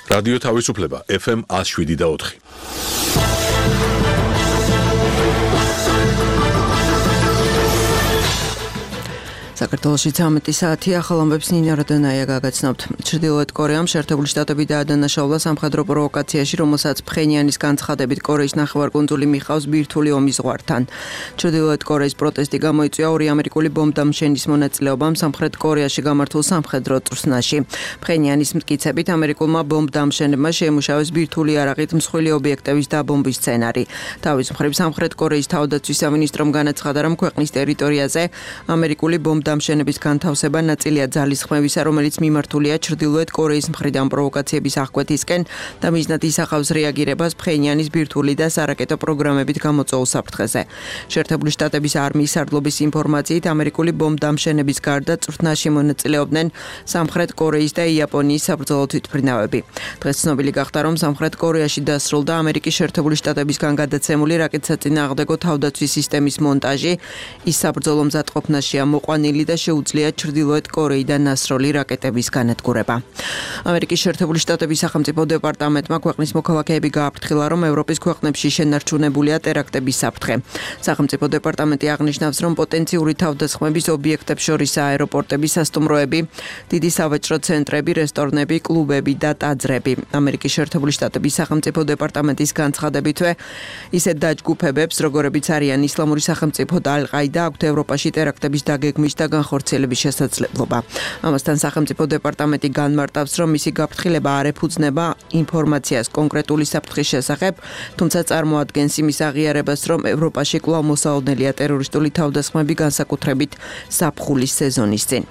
რადიო თავისუფლება FM 107.4. საქართველოში 13 საათია, ახალამბებს ნინა როდონაია გაგაცნობთ. ჩრდილოეთ კორეამ შეერთებული შტატები დაადანაშაულა სამხედრო პროვოკაციაში, რომელსაც ფხენიანის განცხადებით კორეის ნახევარკუნძული მიხავს ბირთვული ომის ზღვართან. ჩრდილოეთ კორეის პროტესტი გამოიწვია ორი ამერიკული ბომბდამშენის მონაწილეობამ სამხრეთ კორეაში გამართულ სამხედრო წვრთნაში. ფხენიანის მტკიცებით ამერიკულმა ბომბდამშენებმა შეემუშავეს ბირთვული იარაღით მსხვილი ობიექტების დაბომბვის სცენარი. თავის მხრივ სამხრეთ კორეის თავდაცვის სამინისტრომ განაცხადა, რომ ქვეყნის ტერიტორიაზე ამერიკული დამშენების განთავსება ნაწილია ძალისხმევისა, რომელიც მიმართულია ჩრდილოეთ კორეის მხრიდან პროვოკაციების აღკვეთისკენ და მიზნად ისახავს რეაგირებას ფხენიანის ბირთვული და სარაკეტო პროგრამებით გამოწვეულ საფრთხეზე. შეერთებული შტატების არმიის სარდლობის ინფორმაციით, ამერიკული ბომბდამშენების გარდა წვრთნაში მონაწილეობდნენ სამხრეთ კორეის და იაპონიის საბრძოლო თვითმფრინავები. დღეს ცნობილი გახდა, რომ სამხრეთ კორეაში დასრულდა ამერიკის შეერთებული შტატებისგან გადაცემული რაკეტსაწინააღმდეგო თავდაცვის სისტემის მონტაჟი. ის საბრძოლო მზადყოფნაშია მოყვანილი და შეუძლია ჩრდილოეთ კორეიდან ნასროლი რაკეტების განადგურება. ამერიკის შეერთებული შტატების სახელმწიფო დეპარტამენტმა ქვეყნის მოქალაქეები გააფრთხილა, რომ ევროპის ქვეყნებში შენარჩუნებულია ტერაქტების საფრთხე. სახელმწიფო დეპარტამენტი აღნიშნავს, რომ პოტენციური თავდასხმების ობიექტებს შორის აეროპორტები, სასტუმროები, დიდი სავაჭრო ცენტრები, რესტორნები, კლუბები და ტაძრები. ამერიკის შეერთებული შტატების სახელმწიფო დეპარტამენტის განცხადებითვე, ისეთ დაჯგუფებებს, როგორებიც არიან ისლამური სახელმწიფო და ალ-ყაიდა, აქვთ ევროპაში ტერაქტების დაგეგმვის და განხორციელების შესაძლებლობა. ამასთან სახელმწიფო დეპარტამენტი განმარტავს, რომ მისი გაფრთხილება არ ეფუძნება ინფორმაციას კონკრეტული საფრთხის შესახებ, თუმცა წარმოადგენს იმის აღიარებას, რომ ევროპაში კვლავ მოსაოდნელია ტერორისტული თავდასხმები, განსაკუთრებით ზაფხულის სეზონის წინ.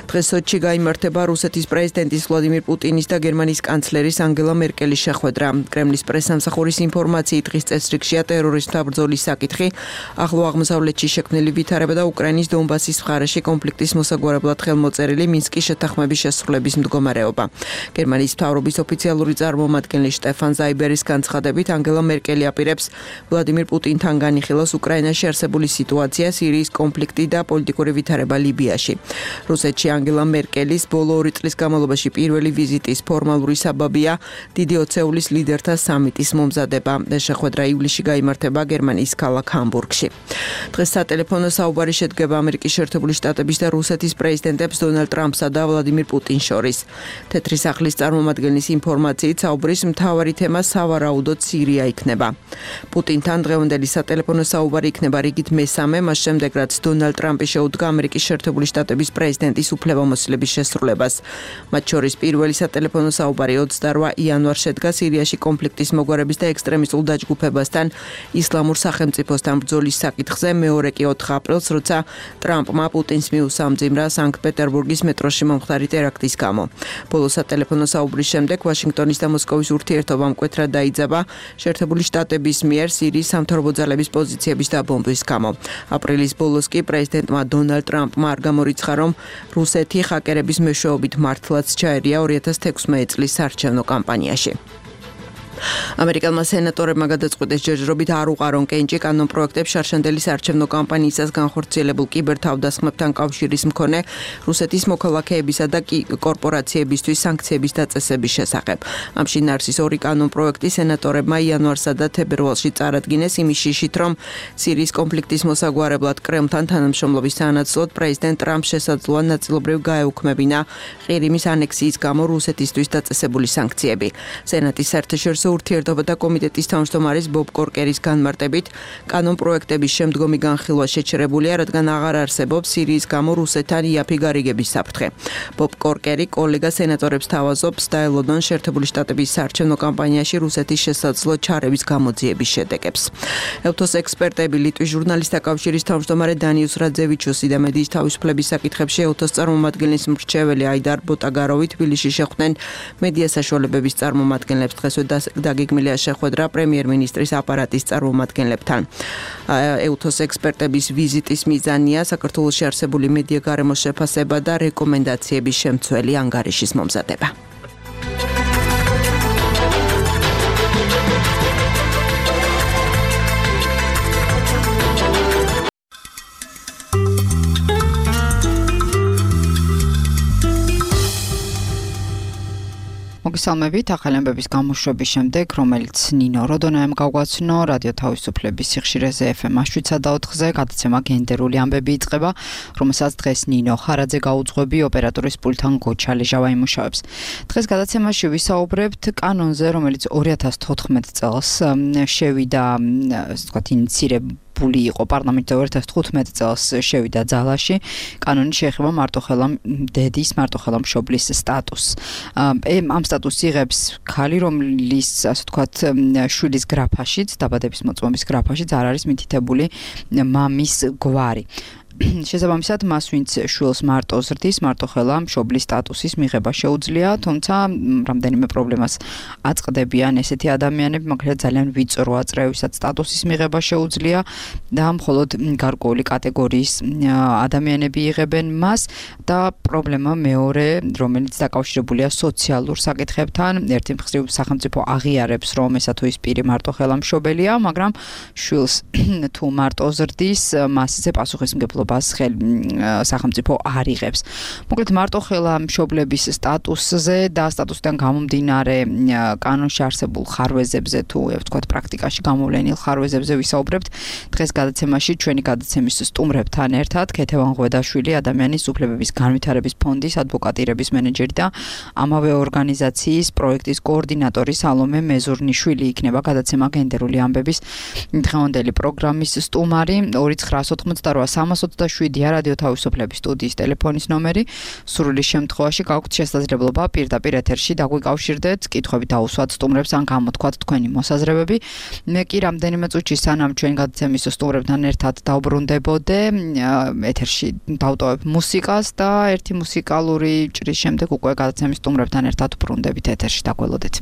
დღეს სოჩში გაიმართება რუსეთის პრეზიდენტის ვლადიმირ პუტინის და გერმანიის კანცლერის ანგელა მერკელის შეხვედრა. კრემლის პრესსამსახურის ინფორმაციით დღის წესრიგშია ტერორიზმთა ბრძოლის საკითხი, ახლო აღმოსავლეთში შექმნილი ვითარება და უკრაინის დონბასის მხარეში კონფლიქტის მოსაგვარებლად ხელმოწერილი მინსკის შეთანხმების შესრულების მდგომარეობა. გერმანიის მთავრობის ოფიციალური წარმომადგენელი შტეფან ზაიბერის განცხადებით, ანგელა მერკელი აპირებს ვლადიმირ პუტინთან განიხილოს უკრაინაში არსებული სიტუაცია, სირიის კონფლიქტი და პოლიტიკური ვითარება ლიბიაში. რუსეთში ანგელა მერკელის ბოლო 2 წლის განმავლობაში პირველი ვიზიტის ფორმალური საბაბია დიდი ოცეულის ლიდერთა სამიტის მომზადება. შეხვედრა ივლისში გაიმართება გერმანიის ქალაქ ჰამბურგში. დღეს სატელეფონო საუბარი შედგება ამერიკის შეერთებული შტატების და რუსეთის პრეზიდენტებს დონალდ ტრამპსა და ვლადიმირ პუტინს შორის. თეთრი სახლის წარმომადგენლის ინფორმაციით, საუბრის მთავარი თემა სავარაუდოდ სირია იქნება. პუტინთან დღევანდელი სატელეფონო საუბარი იქნება რიგით მესამე, მას შემდეგ რაც დონალდ ტრამპი შეუდგა ამერიკის შეერთებული შტატების პრეზიდენტის უფლებამოსილების შესრულებას. მათ შორის პირველი სატელეფონო საუბარი 28 იანვარს შედგა სირიაში კონფლიქტის მოგვარების და ექსტრემისტულ დაჯგუფებასთან ისლამურ სახელმწიფოსთან ბრძოლის საკითხზე, მეორე კი 4 აპრილს, როცა ტრამპმა პუტინს მიუსამძიმრა სანქტ-პეტერბურგის მეტროში მომხდარი ტერაქტის გამო. ბოლო სატელეფონო საუბრის შემდეგ ვაშინგტონის და მოსკოვის ურთიერთობა მკვეთრად დაიძაბა შეერთებული შტატების მიერ სირიის სამთავრობო ძალების პოზიციების დაბომბვის გამო. აპრილის ბოლოს კი პრეზიდენტმა დონალდ ტრამპმა არ გამორიცხა, რომ რუსეთი ჰაკერების მეშვეობით მართლაც ჩაერია 2016 წლის საარჩევნო კამპანიაში. ამერიკელმა სენატორებმა გადაწყვიტეს ჯერჯერობით არ უყარონ კენჭი კანონპროექტებს შარშანდელი საარჩევნო კამპანიისას განხორციელებულ კიბერთავდასხმებთან კავშირის მქონე რუსეთის მოქალაქეებისა და კორპორაციებისთვის სანქციების დაწესების შესახებ. ამ შინაარსის 2 კანონპროექტი სენატორებმა იანვარსა და თებერვალში წარადგინეს იმის შიშით, რომ სირიის კონფლიქტის მოსაგვარებლად კრემლთან თანამშრომლობის სანაცვლოდ პრეზიდენტ ტრამპს შესაძლოა ნაწილობრივ გაეუქმებინა ყირიმის ანექსიის გამო რუსეთისთვის დაწესებული სანქციები. სენატის საერთაშორისო ურთიერთობათა კომიტეტის თავმჯდომარის ბობ კორკერის განმარტებით, კანონპროექტების შემდგომი განხილვა შეჩერებულია, რადგან აღარ არსებობს სირიის გამო რუსეთთან იაფი გარიგების საფრთხე. ბობ კორკერი კოლეგა სენატორებს თავაზობს დაელოდონ შეერთებული შტატების საარჩევნო კამპანიაში რუსეთის შესაძლო ჩარევის გამოძიების შედეგებს. ელთოს ექსპერტები ლიტვის ჟურნალისტთა კავშირის თავმჯდომარე დანიუს რაძევიჩუსი და მედიის თავისუფლების საკითხებში ელთოს წარმომადგენლის მრჩეველი აიდარ ბოტაგაროვი თბილისში შეხვდნენ მედია საშუალებების წარმომადგენლებს. დღესვე დაგეგმილია შეხვედრა პრემიერ-მინისტრის აპარატის წარმომადგენლებთან. ელთოს ექსპერტების ვიზიტის მიზანია საქართველოში არსებული მედია გარემოს შეფასება და რეკომენდაციების შემცველი ანგარიშის მომზადება. მოგესალმებით ახალი ამბების გამოშვების შემდეგ, რომელიც ნინო როდონაემ გავგვაცნო რადიო თავისუფლების სიხშირეზე FM 7.4-ზე გადაცემა გენდერული ამბები იწყება, რომელსაც დღეს ნინო ხარაძე გაუძღვები ოპერატორის პულტთან გოჩა ლეჟავა იმუშავებს. დღეს გადაცემაში ვისაუბრებთ კანონზე, რომელიც 2014 წელს შევიდა, ასე ვთქვათ, ინიცირებული იყო პარლამენტზე 2015 წელს შევიდა ძალაში. კანონი შეეხება მარტოხელა დედის, მარტოხელა მშობლის სტატუსს. ამ სტატუსს იღებს ქალი, რომლის, ასე ვთქვათ, შვილის გრაფაშიც, დაბადების მოწმობის გრაფაშიც არ არის მითითებული მამის გვარი. შესაბამისად, მას ვინც შვილს მარტო ზრდის, მარტოხელა მშობლის სტატუსის მიღება შეუძლია, თუმცა რამდენიმე პრობლემას აწყდებიან ესეთი ადამიანები, მაგალითად ძალიან ვიწროა წრევისაც სტატუსის მიღება შეუძლია და მხოლოდ გარკვეული კატეგორიის ადამიანები იღებენ მას და პრობლემა მეორე, რომელიც დაკავშირებულია სოციალურ საკითხებთან, ერთი მხრივ სახელმწიფო აღიარებს, რომ ესა თუ ის პირი მარტოხელა მშობელია, მაგრამ შვილს თუ მარტო ზრდის, მასზე პასუხისმგებლობა სახელმწიფო არ იღებს. მოკლედ მარტოხელა მშობლების სტატუსზე და სტატუსიდან გამომდინარე კანონში არსებულ ხარვეზებზე თუ ვთქვათ პრაქტიკაში გამოვლენილ ხარვეზებზე ვისაუბრებთ. დღეს გადაცემაში ჩვენი გადაცემის სტუმრებთან ერთად ქეთევან ღვედაშვილი, ადამიანის უფლებების განვითარების ფონდის ადვოკატირების მენეჯერი და ამავე ორგანიზაციის პროექტის კოორდინატორი სალომე მეზურნიშვილი იქნება გადაცემა გენდერული ამბების დღევანდელი პროგრამის სტუმარი. 2988327 რადიო თავისუფლების სტუდიის ტელეფონის ნომერი. სრული შემთხვევაში გაქვთ შესაძლებლობა პირდაპირ ეთერში დაგვიკავშირდეთ, კითხვები დაუსვათ სტუმრებს ან გამოთქვათ თქვენი მოსაზრებები. მე კი რამდენიმე წუთში სანამ ჩვენ გადაცემის სტუმრებთან ერთად დავბრუნდებოდე, ეთერში დავტოვებ მუსიკას და ერთი მუსიკალური ჭრის შემდეგ უკვე გადაცემის სტუმრებთან ერთად ბრუნდებით ეთერში, დაგველოდეთ.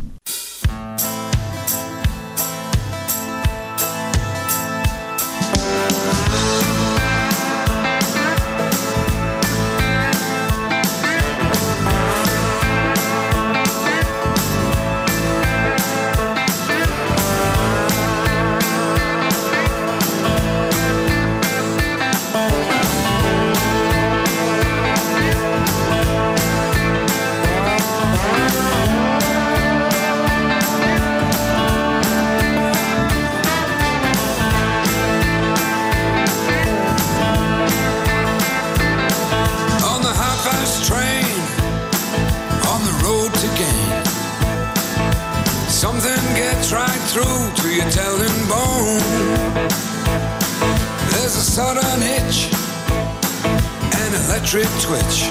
Twitch.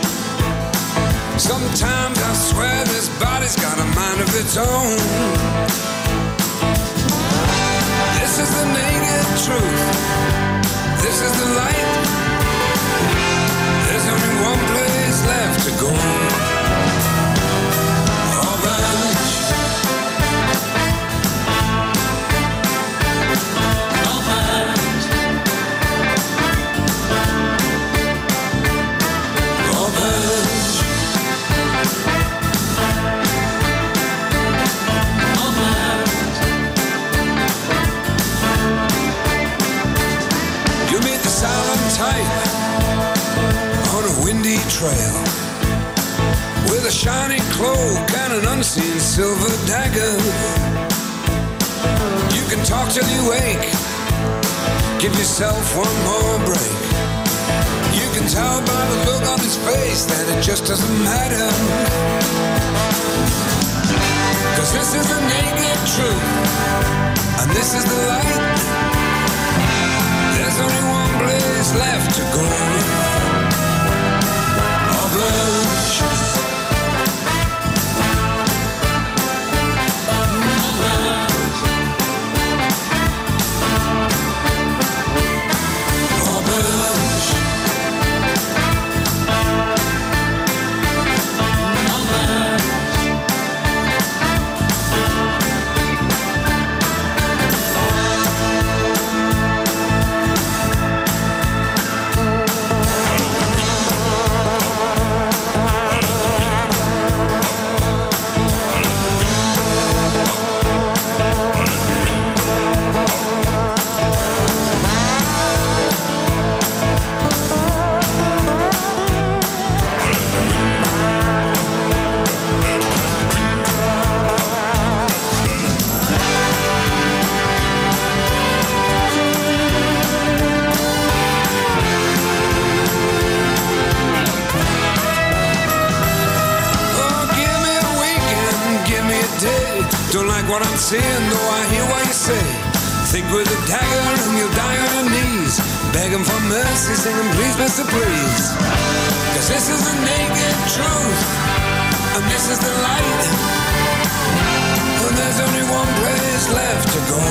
Sometimes I swear this body's got a mind of its own. This is the naked truth. This is the light. There's only one place left to go. On a windy trail with a shiny cloak and an unseen silver dagger. You can talk till you wake, give yourself one more break. You can tell by the look on his face that it just doesn't matter. 'Cause this is the naked truth, and this is the light. There's only one place left to go. what I'm seeing, though I hear what you say. Think with a dagger and you'll die on your knees, begging for mercy, singing please, Mr. Please. Cause this is the naked truth, and this is the light, and there's only one place left to go.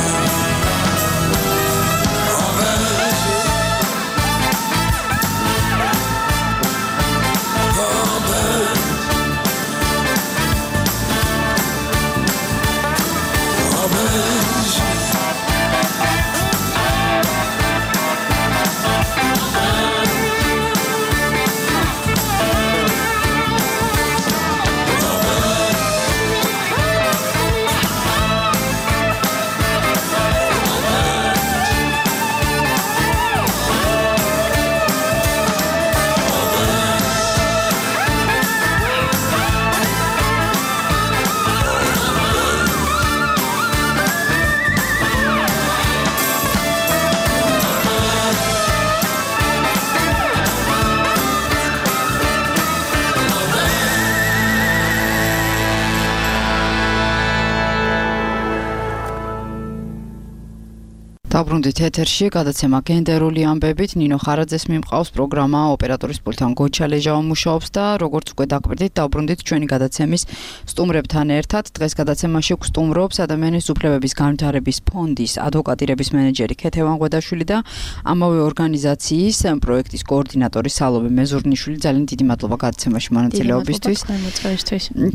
დაბრუნდით ეთერში, გადაცემა გენდერული ამბებით, ნინო ხარაძეს მიმყავს პროგრამა, ოპერატორის პულტთან გოჩა ლეჟავა მუშაობს და როგორც უკვე დაკვირდით, დაბრუნდით ჩვენი გადაცემის სტუმრებთან ერთად. დღეს გადაცემაში გვსტუმრობს ადამიანის უფლებების განვითარების ფონდის ადვოკატირების მენეჯერი ქეთევან ღვედაშვილი და ამავე ორგანიზაციის პროექტის კოორდინატორი სალომე მეზურნიშვილი. ძალიან დიდი მადლობა გადაცემაში მონაწილეობისთვის.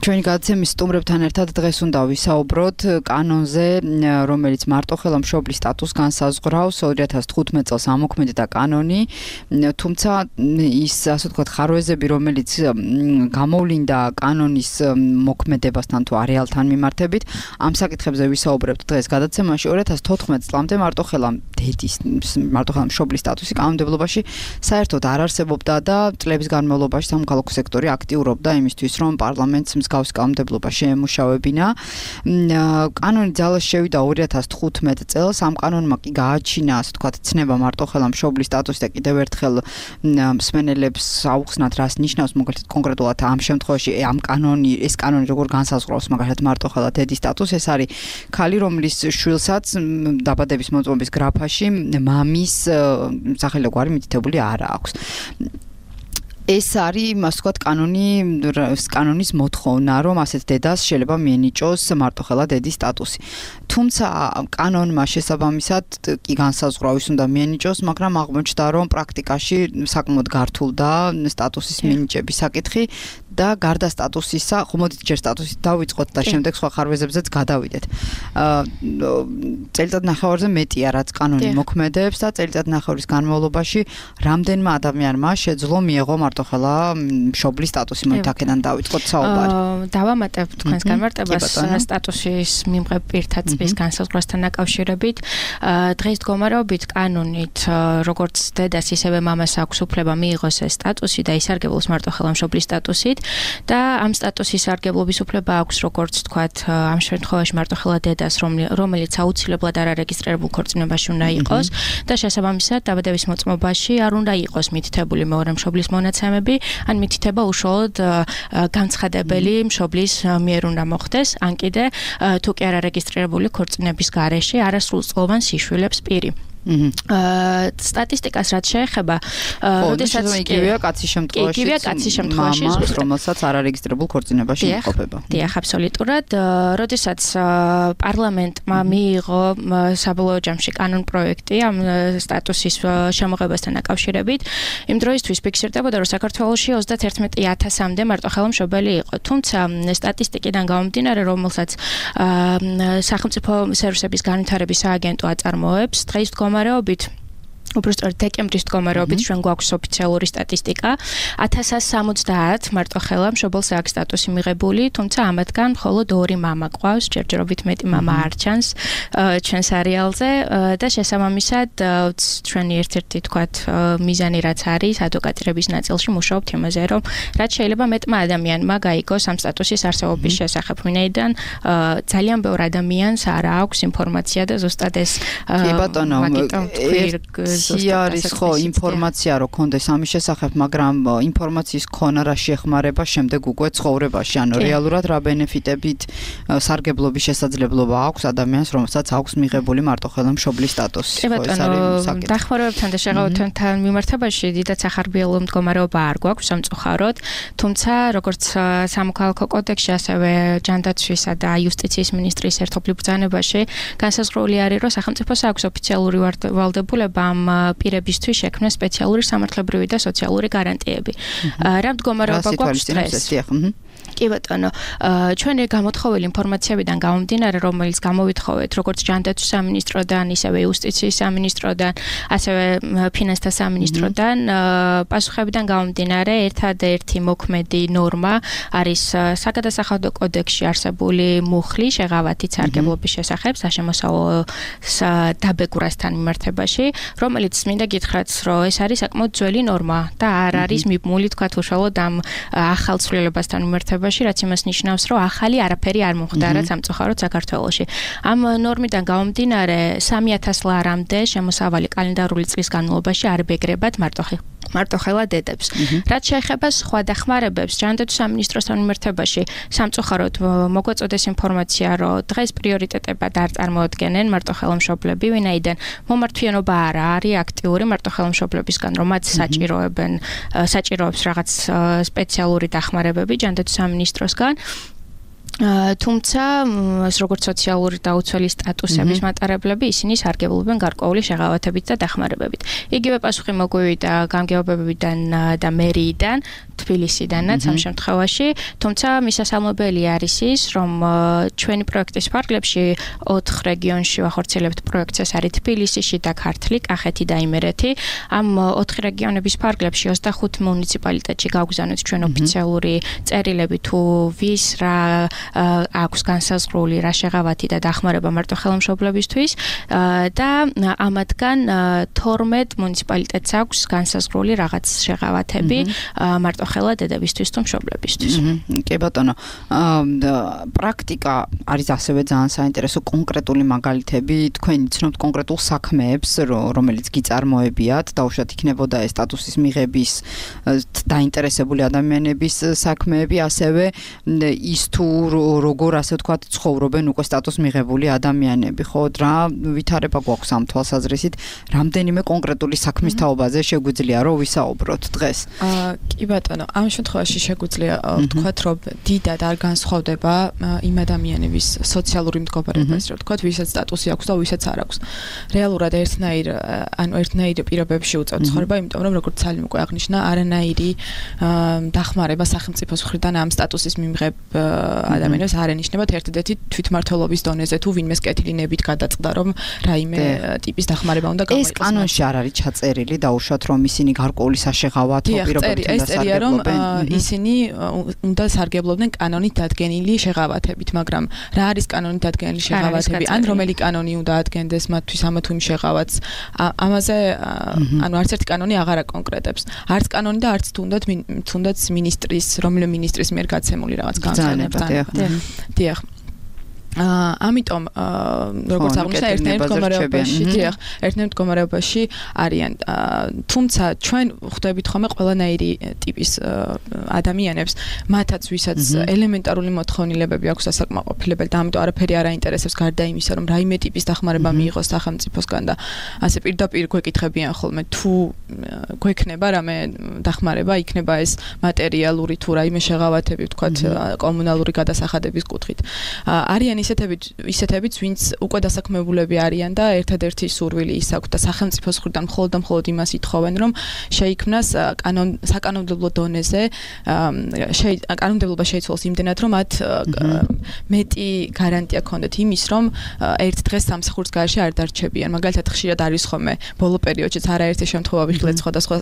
ჩვენი გადაცემის სტუმრებთან ერთად დღეს უნდა ვისაუბროთ კანონზე, რომელიც მარტოხელა მშობლის სტატუსს განსაზღვრავს 2015 წელს ამოქმედა კანონი, თუმცა ის ასე ვთქვათ ხარვეზები, რომელიც გამოვლინდა კანონის მოქმედებასთან თუ არეალთან მიმართებით, ამ საკითხებზე ვისაუბრებთ დღეს გადაცემაში. 2014 წლამდე მარტოხელა მშობლის სტატუსი კანონმდებლობაში საერთოდ არ არსებობდა და წლების განმავლობაში სამოქალაქო სექტორი აქტიურობდა იმისთვის, რომ პარლამენტს მსგავს კანონმდებლობა შეემუშავებინა. კანონი ძალაში შევიდა 2015 წელს, ამ კანონმა კი გააჩინა, ასე ვთქვათ, ცნება მარტოხელა მშობლის სტატუსი და კიდევ ერთხელ მსმენელებს აუხსნათ, რას ნიშნავს მაგალითად კონკრეტულად ამ შემთხვევაში ეს კანონი როგორ განსაზღვრავს მაგალითად მარტოხელა დედის სტატუსს. ეს არის ქალი, რომლის შვილსაც დაბადების მოწმობის გრაფაში მამის სახელი და გვარი მითითებული არ აქვს. ეს არის, ასე ვთქვათ, კანონის მოთხოვნა, რომ ასეთ დედას შეიძლება მიენიჭოს მარტოხელა დედის სტატუსი. თუმცა კანონმა შესაბამისად კი განსაზღვრავის უნდა მიენიჭოს, მაგრამ აღმოჩნდა, რომ პრაქტიკაში საკმაოდ გართულდა სტატუსის მინიჭების საკითხი და გარდა სტატუსისა, ხომოდით ჯერ სტატუსით დავიწყოთ და შემდეგ სხვა ხარვეზებზეც გადავიდეთ. წელიწადნახევარზე მეტია, რაც კანონი მოქმედებს და წელიწადნახევრის განმავლობაში რამდენმა ადამიანმა შეძლო მიეღო მარტოხელა მშობლის სტატუსი. მოით აქედან დავიწყოთ საუბარი. დავამატებ თქვენს განმარტებას სტატუსის მიმღებ პირთა წვის განსაზღვრასთან დაკავშირებით. დღეს მდგომარეობით კანონით, როგორც დედას ისევე მამას აქვს უფლება მიიღოს ეს სტატუსი და ისარგებლოს მარტოხელა მშობლის სტატუსით და ამ სტატუსის სარგებლობის უფლება აქვს, როგორც თქვათ, ამ შემთხვევაში მარტოხელა დედას, რომელიც აუცილებლად არ არეგისტრირებულ ქორწინებაში უნდა იყოს და შესაბამისად დაბადების მოწმობაში არ უნდა იყოს მითითებული მეორე მშობლის მონაცემები, ან მითითება უშუალოდ განცხადებელი მშობლის მიერ უნდა მოხდეს, ან კიდე თუ კი არ არეგისტრირებული ქორწინების გარეშე არასრულწლოვან სიშვილებს პირი. სტატისტიკას რაც შეეხება, როდესაც იგივეა კაცის შემთხვევაში, რომელსაც არ არეგისტრირებულ ქორწინებაში იმყოფება. დიახ, აბსოლუტურად. როდესაც პარლამენტმა მიიღო საბოლოო ჯამში კანონ პროექტი ამ სტატუსის შემოღებასთან დაკავშირებით, იმ დროისთვის ფიქსირდებოდა, რომ საქართველოში 31,000-მდე მარტოხელა მშობელი იყო. თუმცა სტატისტიკიდან გამომდინარე, რომელსაც სახელმწიფო სერვისების განვითარების სააგენტო აწარმოებს, დღეს მდგომარეობით უბრალოდ დეკემბრის მდგომარეობით ჩვენ გვაქვს ოფიციალური სტატისტიკა 1070 მარტოხელა მშობელს აქვს სტატუსი მიღებული, თუმცა ამათგან მხოლოდ 2 მამა ყავს, ჯერჯერობით მეტი მამა არ ჩანს ჩვენს არეალზე და შესაბამისად ჩვენი ერთ-ერთი თქვათ მიზანი რაც არის ადვოკატირების ნაწილში მუშაობთ იმაზე, რომ რაც შეიძლება მეტმა ადამიანმა გაიგოს ამ სტატუსის არსებობის შესახებ, ვინაიდან ძალიან ბევრ ადამიანს არ აქვს ინფორმაცია და ზუსტად ეს კი ბატონო ისე არის ხო ინფორმაცია რო კონდეს ამის შესახებ, მაგრამ ინფორმაციის ქონა რა შეეხმარება შემდეგ უკვე ცხოვრებაში, ანუ რეალურად რა ბენეფიტებით სარგებლობის შესაძლებლობა აქვს ადამიანს, რომელსაც აქვს მიღებული მარტოხელა მშობლის სტატუსი. კი ბატონო, დახმარებებთან და შეღავათებთან მიმართებაში დიდად სახარბიელო მდგომარეობა არ გვაქვს სამწუხაროდ, თუმცა როგორც სამოქალაქო კოდექსში, ასევე ჯანდაცვისა და იუსტიციის მინისტრის ერთობლივ ბრძანებაში განსაზღვრული არის, რომ სახელმწიფოს აქვს ოფიციალური ვალდებულება ამ პირებისთვის შექმნას სპეციალური სამართლებრივი და სოციალური გარანტიები. რა მდგომარეობა გვაქვს დღეს? კი ბატონო, ჩვენი გამოთხოვილი ინფორმაციებიდან გამომდინარე, რომელიც გამოვითხოვეთ როგორც ჯანდაცვის სამინისტროდან, ისევე იუსტიციის სამინისტროდან, ასევე ფინანსთა სამინისტროდან, პასუხებიდან გამომდინარე, ერთადერთი მოქმედი ნორმა არის საგადასახადო კოდექსში არსებული მუხლი შეღავათით სარგებლობის შესახებ საშემოსავლო დაბეგვრასთან მიმართებაში, რომელიც მინდა გითხრათ, რომ ეს არის საკმაოდ ძველი ნორმა და არ არის მიბმული თქვათ უშუალოდ ამ ახალ ცვლილებასთან მიმართებაში, რაც იმას ნიშნავს, რომ ახალი არაფერი არ მომხდარა სამწუხაროდ საქართველოში. ამ ნორმიდან გამომდინარე 3000 ლარამდე შემოსავალი კალენდარული წლის განმავლობაში არ ბეგრებათ მარტოხელა დედებს. რაც შეეხება სხვა დახმარებებს, ჯანდაცვის სამინისტროსთან მიმართებაში, სამწუხაროდ მოგვეწოდეს ინფორმაცია, რომ დღეს პრიორიტეტებად არ წარმოადგენენ მარტოხელა მშობლები, ვინაიდან მომართვიანობა არ არის აქტიური მარტოხელა მშობლებისგან, რომ მათ საჭიროებს რაღაც სპეციალური დახმარებები ჯანდაცვის სამინისტროსგან. თუმცა როგორც სოციალური და უცველი სტატუსების მატარებლები ისინი სარგებლობენ გარკვეული შეღავათებით და დახმარებებით. იგივე პასუხი მოგვივიდა გამგეობებიდან და მერიიდან, თბილისიდანაც ამ შემთხვევაში, თუმცა მისასალმებელი არის ის, რომ ჩვენი პროექტის ფარგლებში 4 რეგიონში ვახორციელებთ პროექტს, ეს არის თბილისი, და ქართლი, კახეთი და იმერეთი. ამ 4 რეგიონების ფარგლებში 25 მუნიციპალიტეტში გავგზავნეთ ჩვენ ოფიციალური წერილები თუ ვის რა აქვს განსაზღვრული რა შეღავათი და დახმარება მარტოხელა-მშობლებისთვის და ამათგან 12 მუნიციპალიტეტს აქვს განსაზღვრული რაღაც შეღავათები მარტოხელა დედებისთვის თუ მშობლებისთვის. კი ბატონო, პრაქტიკა არის ასევე ძალიან საინტერესო კონკრეტული მაგალითები, თქვენ იცნობთ კონკრეტულ საქმეებს, რომელიც გიწარმოებიათ, დაუშვათ იქნებოდა ეს სტატუსის მიღების დაინტერესებული ადამიანების საქმეები, ასევე ის თუ როგორ ასე ვთქვათ ცხოვრობენ უკვე სტატუს მიღებული ადამიანები, ხო, რა ვითარება გვაქვს ამ თვალსაზრისით, რამდენიმე კონკრეტული საქმის თაობაზე შეგვიძლია რომ ვისაუბროთ დღეს. კი ბატონო, ამ შემთხვევაში შეგვიძლია ვთქვათ, რომ დიდად არ განსხვავდება იმ ადამიანების სოციალური მდგომარეობა, ესე რომ ვთქვათ, ვისაც სტატუსი აქვს და ვისაც არ აქვს. რეალურად ერთნაირ პირობებში უწევთ ცხოვრება, იმიტომ რომ როგორც ცალიმ უკვე აღნიშნა, არანაირი დახმარება სახელმწიფოს მხრიდან ამ სტატუსის მიმღებ ადამიანებს არ ენიშნებათ ერთადერთი თვითმმართველობის დონეზე თუ ვინმეს კეთილინებით გადაწყდა, რომ რაიმე ტიპის დახმარება უნდა გამოიყენოს. ეს კანონში არ არის ჩაწერილი, დაუშვათ რომ ისინი გარკვეული საშეღავათო პირობებთან დასარგებლობენ. ისინი უნდა სარგებლობდნენ კანონით დადგენილი შეღავათებით, მაგრამ რა არის კანონით დადგენილი შეღავათები? ან რომელი კანონი უნდა ადგენდეს მათთვის ამა თუ იმ შეღავათს? ამაზე ანუ არც ერთი კანონი აღარ აკონკრეტებს. არც კანონი და არც თუნდაც ministris, რომელი ministris მიერ გაცემული რაღაც განცხადება. დიახ. ამიტომ როგორც აღნიშნა ერთნაირ მდგომარეობაში არიან. თუმცა ჩვენ ხვდებით ხოლმე ყველანაირი ტიპის ადამიანებს, მათაც ვისაც ელემენტარული მოთხოვნილებები აქვს დასაკმაყოფილებელი და ამიტომ არაფერი არ აინტერესებს გარდა იმისა, რომ რაიმე ტიპის დახმარება მიიღოს სახელმწიფოსგან და ასე პირდაპირ გვეკითხებიან ხოლმე თუ გვექნება რამე დახმარება, იქნება ეს მატერიალური თუ რაიმე შეღავათები, ვთქვათ, კომუნალური გადასახადების კუთხით. არიან ისეთებიც, ვინც უკვე დასაქმებულები არიან და ერთადერთი სურვილი ის აქვს და სახელმწიფოს მხრიდან მხოლოდ იმას ითხოვენ, რომ შეიქმნას საკანონმდებლო დონეზე კანონმდებლობა შეიცვალოს იმდენად, რომ მათ მეტი გარანტია ქონდეთ იმის, რომ ერთ დღეს სამსახურის გარეშე არ დარჩებიან. მაგალითად, ხშირად არის ხოლმე ბოლო პერიოდშიც არაერთი შემთხვევა ვიხილეთ სხვადასხვა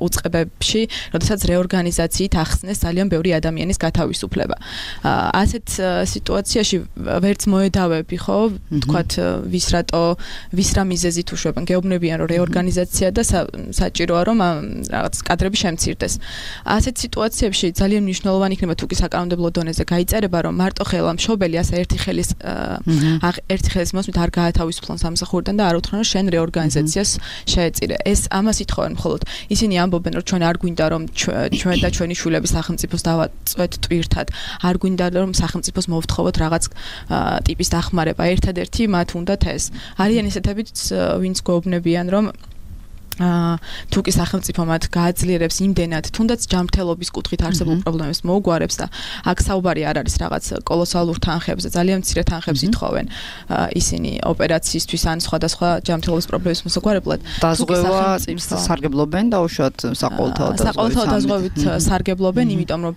უწყებებში, როდესაც რეორგანიზაციით ახსნეს ძალიან ბევრი ადამიანის გათავისუფლება. ასეთ სიტუაციაში ვერც მოედავები, ხო, თქვათ ვის რა მიზეზით უშვებენ, გეუბნებიან რომ რეორგანიზაცია და საჭიროა რომ რაღაც კადრები შემცირდეს. ასეთ სიტუაციებში ძალიან მნიშვნელოვანი იქნება თუ კი საკანონმდებლო დონეზე გაიწერება რომ მარტო ხელმშობელი ასე ერთი ხელის მოსმით არ გაათავისუფლონ სამსახურიდან და არ უთხრან რომ შენ რეორგანიზაციას შეეწირე. ეს ამას ითხოვენ მხოლოდ. ისინი ამბობენ რომ ჩვენ არ გვინდა რომ ჩვენ და ჩვენი შვილები სახელმწიფოს დავაწვეთ ტვირთად. არ გვინდა რომ სახელმწიფოს მოვთხოვოთ რაღაც ტიპის დახმარება. ერთადერთი მათ უნდათ ეს. არიან ისეთებიც ვინც გვეუბნებიან რომ თუ კი სახელმწიფო მათ გააძლიერებს იმდენად, თუნდაც ჯანმრთელობის კუთხით არსებულ პრობლემებს მოუგვარებს და აქ საუბარი არ არის რაღაც კოლოსალურ თანხებზე, ძალიან მცირე თანხებს ითხოვენ ისინი ოპერაციისთვის ან სხვადასხვა ჯანმრთელობის პრობლემების მოსაგვარებლად. დაზღვევა სარგებლობენ და უშუალოდ საყოველთაო დაზღვევით სარგებლობენ, იმიტომ რომ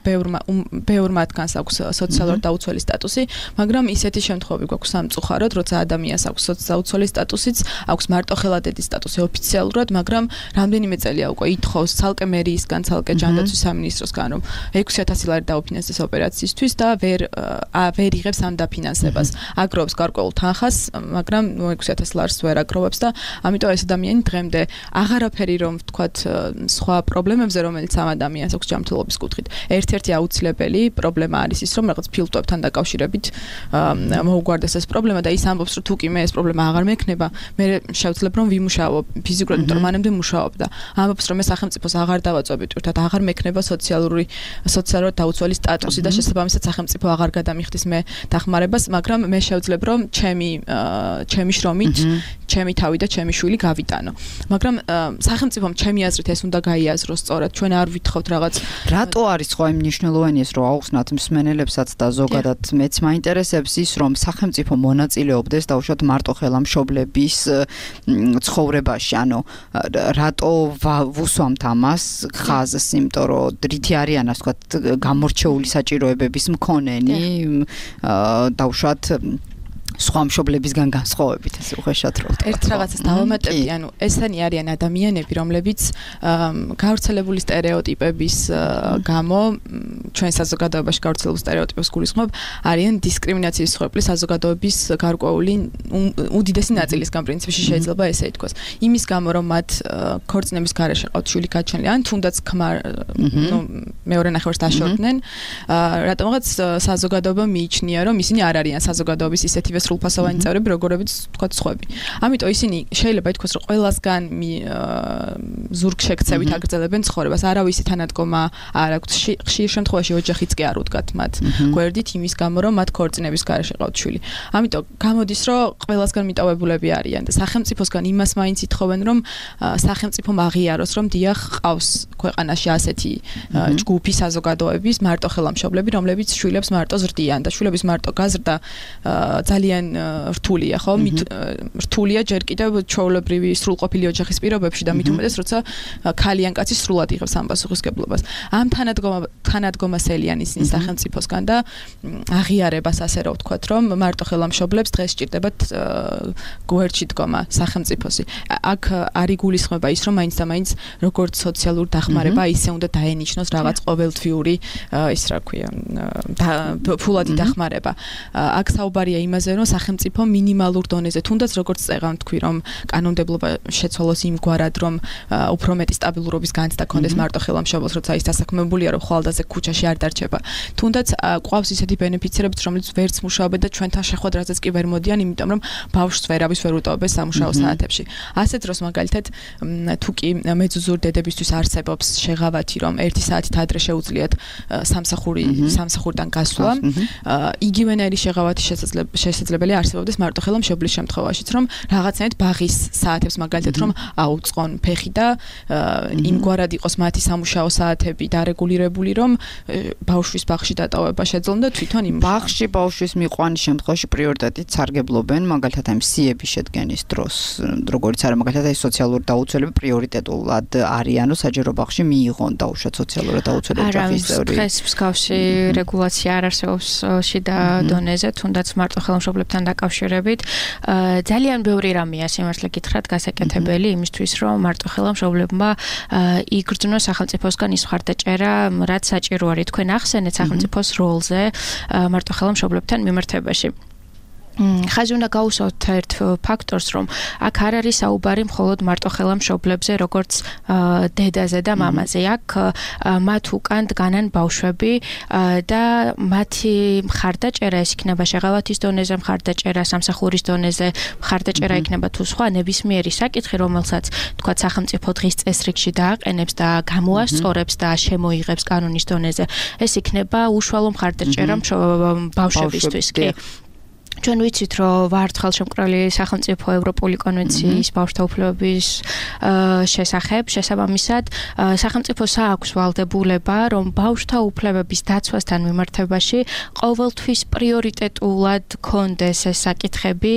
ბევრ მათგანს აქვს სოციალურ დაუცველი სტატუსი, მაგრამ ისეთი შემთხვევები გვაქვს სამწუხაროდ, როცა ადამიანს აქვს სოციალურ სტატუსიც, აქვს მარტოხელადედის სტატუსი ოფიციალურად, მაგრამ რამდენიმე წელია უკვე ითხოვს ცალკე მერიისგან, ცალკე ჯანდაცვის სამინისტროსგან, რომ 6,000 ლარი დაუფინანსდეს ოპერაციისთვის და ვერ იღებს ამ დაფინანსებას. აგროვებს გარკვეულ თანხას, მაგრამ 6,000 ლარს ვერ აგროვებს და ამიტომ ეს ადამიანი დღემდე აღარაფერი რომ ვთქვათ სხვა პრობლემებზე, რომელიც ამ ადამიანს აქვს ჯანმრთელობის კუთხით. ერთ-ერთი აუცილებელი პრობლემა არის ის, რომ რაღაც ფილტვებთან დაკავშირებით მოუგვარდეს ეს პრობლემა და ის ამბობს, რომ თუ კი მე ეს პრობლემა აღარ მექნება, მე შევძლებ რომ ვიმუშაო ფიზიკურად, იმიტომ რომ მანამდე მუშაობდა. ამბობს რომ მე სახელმწიფოს აღარ დავაწვევი თურთად აღარ მექნება სოციალურად დაუცველი სტატუსი და შესაბამისად სახელმწიფო აღარ გადამიხდის მე დახმარებას, მაგრამ მე შევძლებ რომ ჩემი შრომით ჩემი თავი და ჩემი შვილი გავიტანო. მაგრამ სახელმწიფომ ჩემი აზრით ეს უნდა გაიაზროს სწორად. ჩვენ არ ვითხოვთ რაღაც რატო არის ხო იმ მნიშვნელოვანი ეს რომ აუხსნათ მსმენელებსაც და ზოგადად მეც მაინტერესებს ის რომ სახელმწიფო მონაწილეობდეს დაუშვათ მარტო ხელმშობლების ცხოვრებაში, ანუ რატო ვუსვამთ ამას ხაზს, იმიტომ რომ რითი არიან ასე ვთქვათ გამორჩეული საჭიროებების მქონენი დაუშვათ სხვა მშობლებისგან განსხვავებით ეს უხეშად რო ვთქვა. ერთ რაღაცას დავამატებდი, ანუ ესენი არიან ადამიანები, რომლებიც გავრცელებული სტერეოტიპების გამო ჩვენ საზოგადოებაში გავრცელებულ სტერეოტიპებს გულისხმობ, არიან დისკრიმინაციის მსხვერპლის საზოგადოების გარკვეული უდიდესი ნაწილისგან პრინციპში შეიძლება ესე ითქვას. იმის გამო რომ მათ ქორწინების გარეშე ყავთ შვილი გაჩენილი, ან თუნდაც მეორე ნახევარს დაშორდნენ, რატომღაც საზოგადოება მიიჩნია, რომ ისინი არ არიან საზოგადოების ისეთივე სრულფასოვანი წევრები, როგორებიც თქვა სხვები. ამიტომ ისინი შეიძლება ითქვას, რომ ყველასგან ზურგშექცევით აგრძელებენ ცხოვრებას. არავისი თანადგომა არ აქვს. ხშირ შემთხვევაში ოჯახიც კი არ უდგათ მათ გვერდით იმის გამო, რომ მათ ქორწინების გარეშე ყავთ შვილი. ამიტომ გამოდის, რომ ყველასგან მიტოვებულები არიან და სახელმწიფოსგან იმას მაინც ითხოვენ, რომ სახელმწიფომ აღიაროს, რომ დიახ ყავს ქვეყანაში ასეთი ჯგუფი საზოგადოების მარტო ხელმშობლები, რომლებიც შვილებს მარტო ზრდიან და შვილების მარტო გაზრდა ძალიან რთულია, ხო? რთულია ჯერ კიდევ ჩვეულებრივი სრულყოფილი ოჯახის პირობებში და მით უმეტეს, როცა ქალი ან კაცი სრულად იღებს ამ პასუხისგებლობას. ამ თანადგომას ელიან ისინი სახელმწიფოსგან და აღიარებას ასე რომ ვთქვათ, რომ მარტო ხელმშობლებს დღეს სჭირდებათ გვერდში დგომა სახელმწიფოსი. აქ არ იგულისხმება ის, რომ მაინც და მაინც როგორც სოციალური დახმარება ისე უნდა დაენიშნოს რაღაც ყოველთვიური ის რა ქვია, ფულადი დახმარება. აქ საუბარია იმაზე, რომ სახელმწიფო მინიმალურ დონეზე, თუნდაც როგორც წეღან თქვი, რომ კანონმდებლობა შეცვალოს იმგვარად, რომ უფრო მეტი სტაბილურობის განცდა კონდეს მარტო ხელმშობელს, როცა ის დასაქმებულია, რომ ხვალდაზე ქუჩაში არ დარჩება. თუნდაც ყავს ისეთი ბენეფიცირებიც, რომელიც ვერც მუშაობენ და ჩვენთან შეხვედრაზეც კი ვერ მოდიან, იმიტომ რომ ბავშვს ვერავის ვერ უტოვებს სამუშაო საათებში. ასეთ დროს მაგალითად თუ კი მეძუძურ დედებისთვის არსებობს შეღავათი, რომ 1 საათით ადრე შეუძლიათ სამსახურიდან გასვლა, იგივენაირი შეღავათი შესაძლებელი არსებობდეს მარტო ხელმშობლის შემთხვევაშიც, რომ რაღაცნაირად ბაღის საათებს მაგალითად რომ აუწყონ ფეხი და იმგვარად იყოს მათი სამუშაო საათები დარეგულირებული, რომ ბავშვის ბაღში დატოვება შეძლონ და თვითონ იმ ბაღში ბავშვის მიყვანის შემთხვევაში პრიორიტეტით სარგებლობენ, მაგალითად ამ სიების შედგენის დროს, როგორც არა მაგალითად აი სოციალური დაუცველები პრიორიტეტულად არიან, რომ საჯარო ბაღში მიიღონ დაუშვათ სოციალური დაუცველები ოჯახის წევრი. დღეს მსგავსი რეგულაცია არ არსებობს შიდა დონეზე, თუნდაც მარტო ხელმშობლებთან დაკავშირებით. ძალიან ბევრი რამეა სიმართლე გითხრათ გასაკეთებელი იმისთვის, რომ მარტო ხელმშობლებმა იგრძნოს სახელმწიფოსგან ის მხარდაჭერა, რაც საჭირო არის. თქვენ ახსენეთ სახელმწიფოს როლზე მარტო ხელმშობლებთან მიმართებაში. ხაზი უნდა გაუსვათ ერთ ფაქტორს, რომ აქ არ არის საუბარი მხოლოდ მარტოხელა მშობლებზე, როგორც დედაზე და მამაზე. აქ მათ უკან დგანან ბავშვები და მათი მხარდაჭერა ეს იქნება შეღავათის დონეზე, მხარდაჭერა სამსახურის დონეზე, მხარდაჭერა იქნება თუ სხვა ნებისმიერი საკითხი, რომელსაც თქვა სახელმწიფო დღის წესრიგში დააყენებს და გამოასწორებს და შემოიღებს კანონის დონეზე. ეს იქნება უშუალო მხარდაჭერა ბავშვებისთვის. კი. ჩვენ ვიცით, რომ ვართ ხელშემკრალი სახელმწიფო ევროპული კონვენციის ბავშვთა უფლებების შესახებ, შესაბამისად, სახელმწიფოს აქვს ვალდებულება, რომ ბავშვთა უფლებების დაცვასთან მიმართებაში ყოველთვის პრიორიტეტულად კონდეს ეს საკითხები,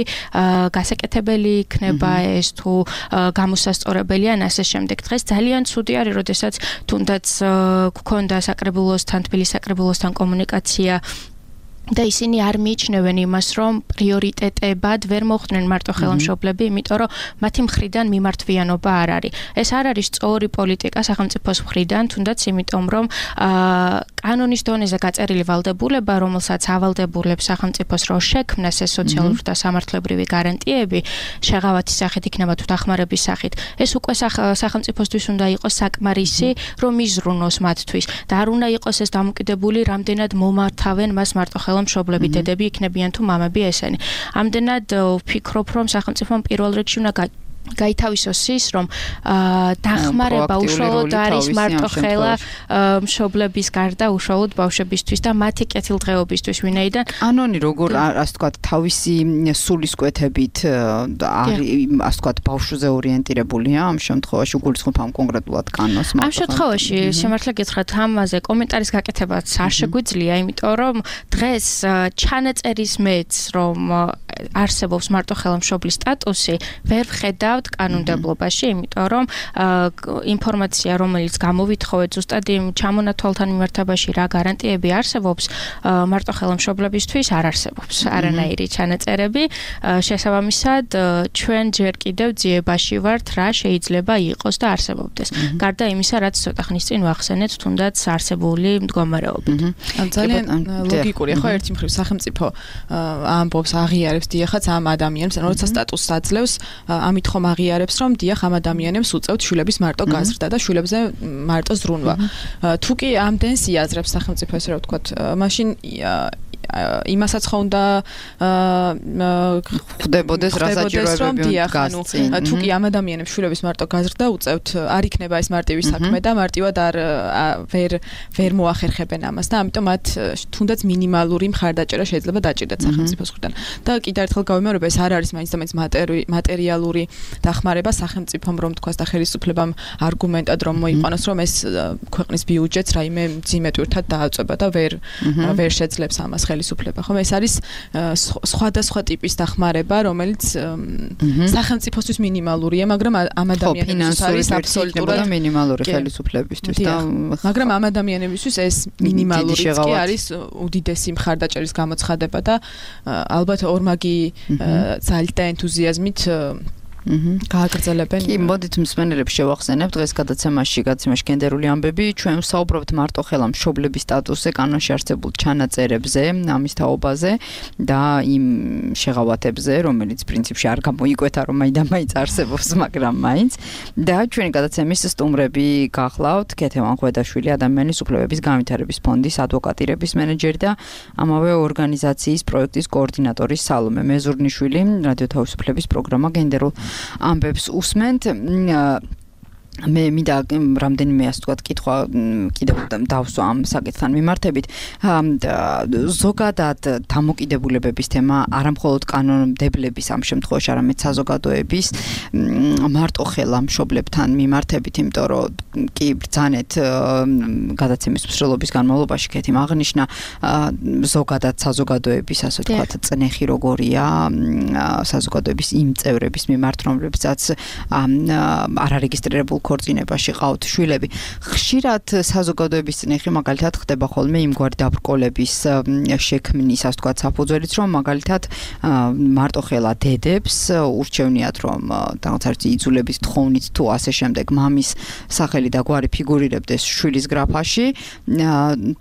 გასაკეთებელი იქნება ეს თუ გამოსასწორებელი ან ასე შემდეგ. დღეს ძალიან ცუდი არის, როდესაც თუნდაც გქონდა საკრებულოსთან, თბილისის საკრებულოსთან კომუნიკაცია და ისინი არ მიიჩნევენ იმას, რომ პრიორიტეტებად ვერ მოხვდნენ მარტოხელა მშობლები, იმიტომ რომ მათი მხრიდან მიმართვიანობა არ არის. ეს არ არის სწორი პოლიტიკა სახელმწიფოს მხრიდან, თუნდაც იმიტომ, რომ კანონის დონეზე გაწერილი ვალდებულება, რომელსაც ავალდებულებს სახელმწიფოს რო შექმნას ეს სოციალური და სამართლებრივი გარანტიები, შეღავათის სახით იქნება თუ დახმარების სახით, ეს უკვე სახელმწიფოსთვის უნდა იყოს საკმარისი, რომ იზრუნოს მათთვის და არ უნდა იყოს ეს დამოკიდებული, რამდენად მომართავენ მას მარტოხელა მშობლები, დედები იქნებიან თუ მამები ესენი. ამდენად ვფიქრობ, რომ სახელმწიფომ პირველ რიგში უნდა გაითავისოს ის, რომ დახმარება უშუალოდ არის მარტოხელა მშობლების გარდა უშუალოდ ბავშვებისთვის და მათი კეთილდღეობისთვის, ვინაიდან კანონი როგორ ასე ვთქვათ, თავისი სულისკვეთებით არის ასე ვთქვათ, ბავშვზე ორიენტირებულია ამ შემთხვევაში, უგულისხმობ ამ კონკრეტულად კანონს. ამ შემთხვევაში სიმართლე გითხრათ, ამაზე კომენტარის გაკეთებაც არ შეგვიძლია, იმიტომ რომ დღეს ჩანაწერის მეც, რომ არსებობს მარტოხელა მშობლის სტატუსი, ვერ ვხედავ კანონმდებლობაში, იმიტომ რომ ინფორმაცია, რომელიც გამოვითხოვეთ ზუსტად იმ ჩამონათვალთან მიმართებაში რა გარანტიები არსებობს, მარტოხელა მშობლებისთვის არ არსებობს არანაირი ჩანაწერები. შესაბამისად, ჩვენ ჯერ კიდევ ძიებაში ვართ, რა შეიძლება იყოს და არსებობდეს. გარდა იმისა, რაც ცოტა ხნის წინ ვახსენეთ, თუნდაც არსებული მდგომარეობით. ძალიან ლოგიკურია, ხო, ერთი მხრივ სახელმწიფო ამბობს, აღიარებს დიახაც ამ ადამიანს, როცა სტატუსს აძლევს, ამით ხომ აღიარებს, რომ დიახ ამ ადამიანებს უწევთ შვილების მარტო გაზრდა და შვილებზე მარტო ზრუნვა. თუ კი ამდენს იაზრებს სახელმწიფო, ესე რა ვთქვათ, მაშინ იმასაც ხო უნდა ხდებოდეს რა საჭიროებები გასწ. თუ კი ამ ადამიანებს შვილების მარტო გაზრდა უწევთ, არ იქნება ეს მარტივი საქმე და მარტივად ვერ მოახერხებენ ამას და ამიტომ მათ თუნდაც მინიმალური მხარდაჭერა შეიძლება დაჭირდეთ სახელმწიფოს მხრიდან. და კიდევ ერთხელ გავიმეორებ, ეს არ არის მაინც და მაინც მატერიალური დახმარება სახელმწიფომ, რომ თქვას და ხელისუფლებამ არგუმენტად რომ მოიყვანოს, რომ ეს ქვეყნის ბიუჯეტს რაიმე ძიმეტვირთად დააწვება და ვერ შეძლებს ამას ხელისუფლება. ხომ ეს არის სხვადასხვა ტიპის დახმარება, რომელიც სახელმწიფოსთვის მინიმალურია, მაგრამ ამ ადამიანებისთვის არის აბსოლუტურად მინიმალური ხელისუფლებისთვის და მაგრამ ამ ადამიანებისთვის ეს მინიმალური კი არის უდიდესი მხარდაჭერის გამოცხადება და ალბათ ორმაგი ძალით და ენთუზიაზმით გააგრძელებენ. კი, მოდით მსმენელებს შევახსენებთ დღეს გადაცემაში გენდერული ამბები. ჩვენ ვსაუბრობთ მარტოხელა მშობლების სტატუსზე, კანონში არსებულ ჩანაწერებზე, ამის თაობაზე და იმ შეღავათებზე, რომელიც პრინციპში არ გამოიკვეთა, რომ მაინც არსებობს, მაგრამ მაინც. და ჩვენი გადაცემის სტუმრები გახლავთ ქეთევან ხვედაშვილი, ადამიანის უფლებების განვითარების ფონდის ადვოკატირების მენეჯერი და ამავე ორგანიზაციის პროექტის კოორდინატორი სალომე მეზურნიშვილი, რადიო თავისუფლების პროგრამა გენდერულ ამბებს უსმენთ. მე მინდა რამდენიმე ასე ვთქვათ კითხვა კიდევ დავსვა ამ საკითხთან მიმართებით. ზოგადად დამოკიდებულებების თემა არა მხოლოდ კანონმდებლების ამ შემთხვევაში, არამედ საზოგადოების მარტოხელა მშობლებთან მიმართებით, იმიტომ რომ კი ბრძანეთ გადაცემის მსვლელობის განმავლობაში ქეთიმ აღნიშნა ზოგადად საზოგადოების ასე ვთქვათ წნეხი როგორია საზოგადოების იმ წევრების მიმართ, რომლებსაც არარეგისტრირებულ ქორწინებაში ყავთ შვილები. ხშირად საზოგადოების წნეხი მაგალითად ხდება ხოლმე იმგვარი დაბრკოლების შექმნის, ასე ვთქვათ, საფუძველიც, რომ მაგალითად მარტოხელა დედებს ურჩევნიათ, რომ რაღაცა იძულების თხოვნით თუ ასე შემდეგ მამის სახელი და გვარი ფიგურირებდეს შვილის გრაფაში,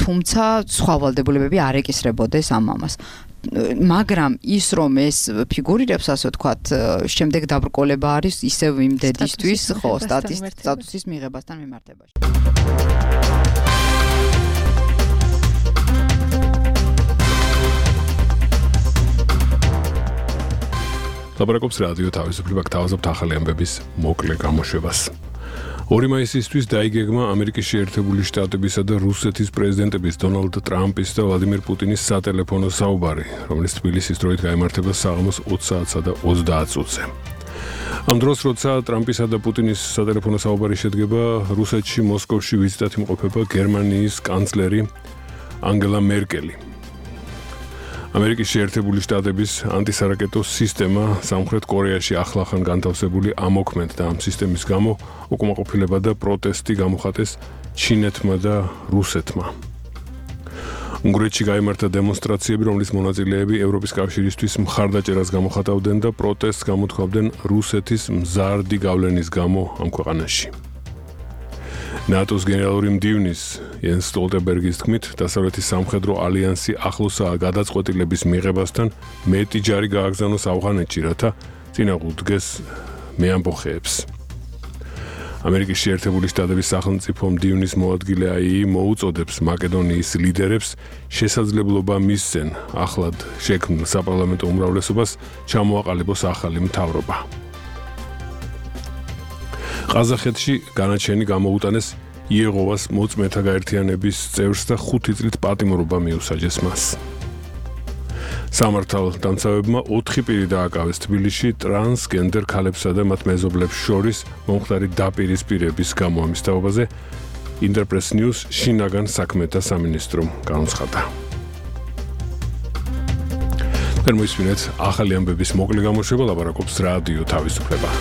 თუმცა სხვა ვალდებულებები არ ეკისრებოდეს ამ მამას. მაგრამ ის რომ ეს ფიგურირებს ასე ვთქვათ, შემდეგ დაბრკოლება არის ისევ იმ დედისთვის, ხო, სტატუსის მიღებასთან მიმართებაში. ლაპარაკობს რადიო თავისუფლება, გთავაზობთ ახალი ამბების მოკლე გამოშვებას. 2 მაისისთვის დაიგეგმა ამერიკის შეერთებული შტატებისა და რუსეთის პრეზიდენტების დონალდ ტრამპის და ვლადიმერ პუტინის სატელეფონო საუბარი, რომელიც თბილისის დროით გაიმართება საღამოს 20 საათსა და 30 წუთზე. ამ დროს, როცა ტრამპისა და პუტინის სატელეფონო საუბარი შედგება, რუსეთში მოსკოვში ვიზიტად იმყოფება გერმანიის კანცლერი ანგელა მერკელი. ამერიკის შეერთებული შტატების ანტისარაკეტო სისტემა სამხრეთ კორეაში ახლახან განთავსებული ამოქმედ და ამ სისტემის გამო უკმაყოფილება და პროტესტი გამოხატეს ჩინეთმა და რუსეთმა. უნგრეთში გაიმართა დემონსტრაციები, რომლის მონაწილეები ევროპის კავშირისთვის მხარდაჭერას გამოხატავდნენ და პროტესტს გამოთქვამდნენ რუსეთის მზარდი გავლენის გამო ამ ქვეყანაში. ნატოს გენერალური მდივნის იენს სტოლტენბერგის თქმით, დასავლეთის სამხედრო ალიანსი ახლოსაა გადაწყვეტილების მიღებასთან, მეტი ჯარი გააგზავნოს ავღანეთში, რათა წინააღმდეგს მეამბოხეებს. ამერიკის შეერთებული შტატების სახელმწიფო მდივნის მოადგილე აიი მოუწოდებს მაკედონიის ლიდერებს შესაძლებლობა მისცენ ახლად შექმნილ საპარლამენტო უმრავლესობას ჩამოაყალიბოს ახალი მთავრობა. ყაზახეთში განაჩენი გამოუტანეს იეღოვას მოწმეთა გაერთიანების წევრს და 5 წლით პატიმრობა მიუსაჯეს მას. სამართალდამცავებმა 4 პირი დააკავეს თბილისში ტრანსგენდერ ქალებსა და მათ მეზობლებს შორის მომხდარი დაპირისპირების გამო. ამის თაობაზე ინტერპრეს ნიუს შინაგან საქმეთა სამინისტრომ განუცხადა. მოისმინეთ ახალი ამბების მოკლე გამოშვება, ლაპარაკობს რადიო თავისუფლება.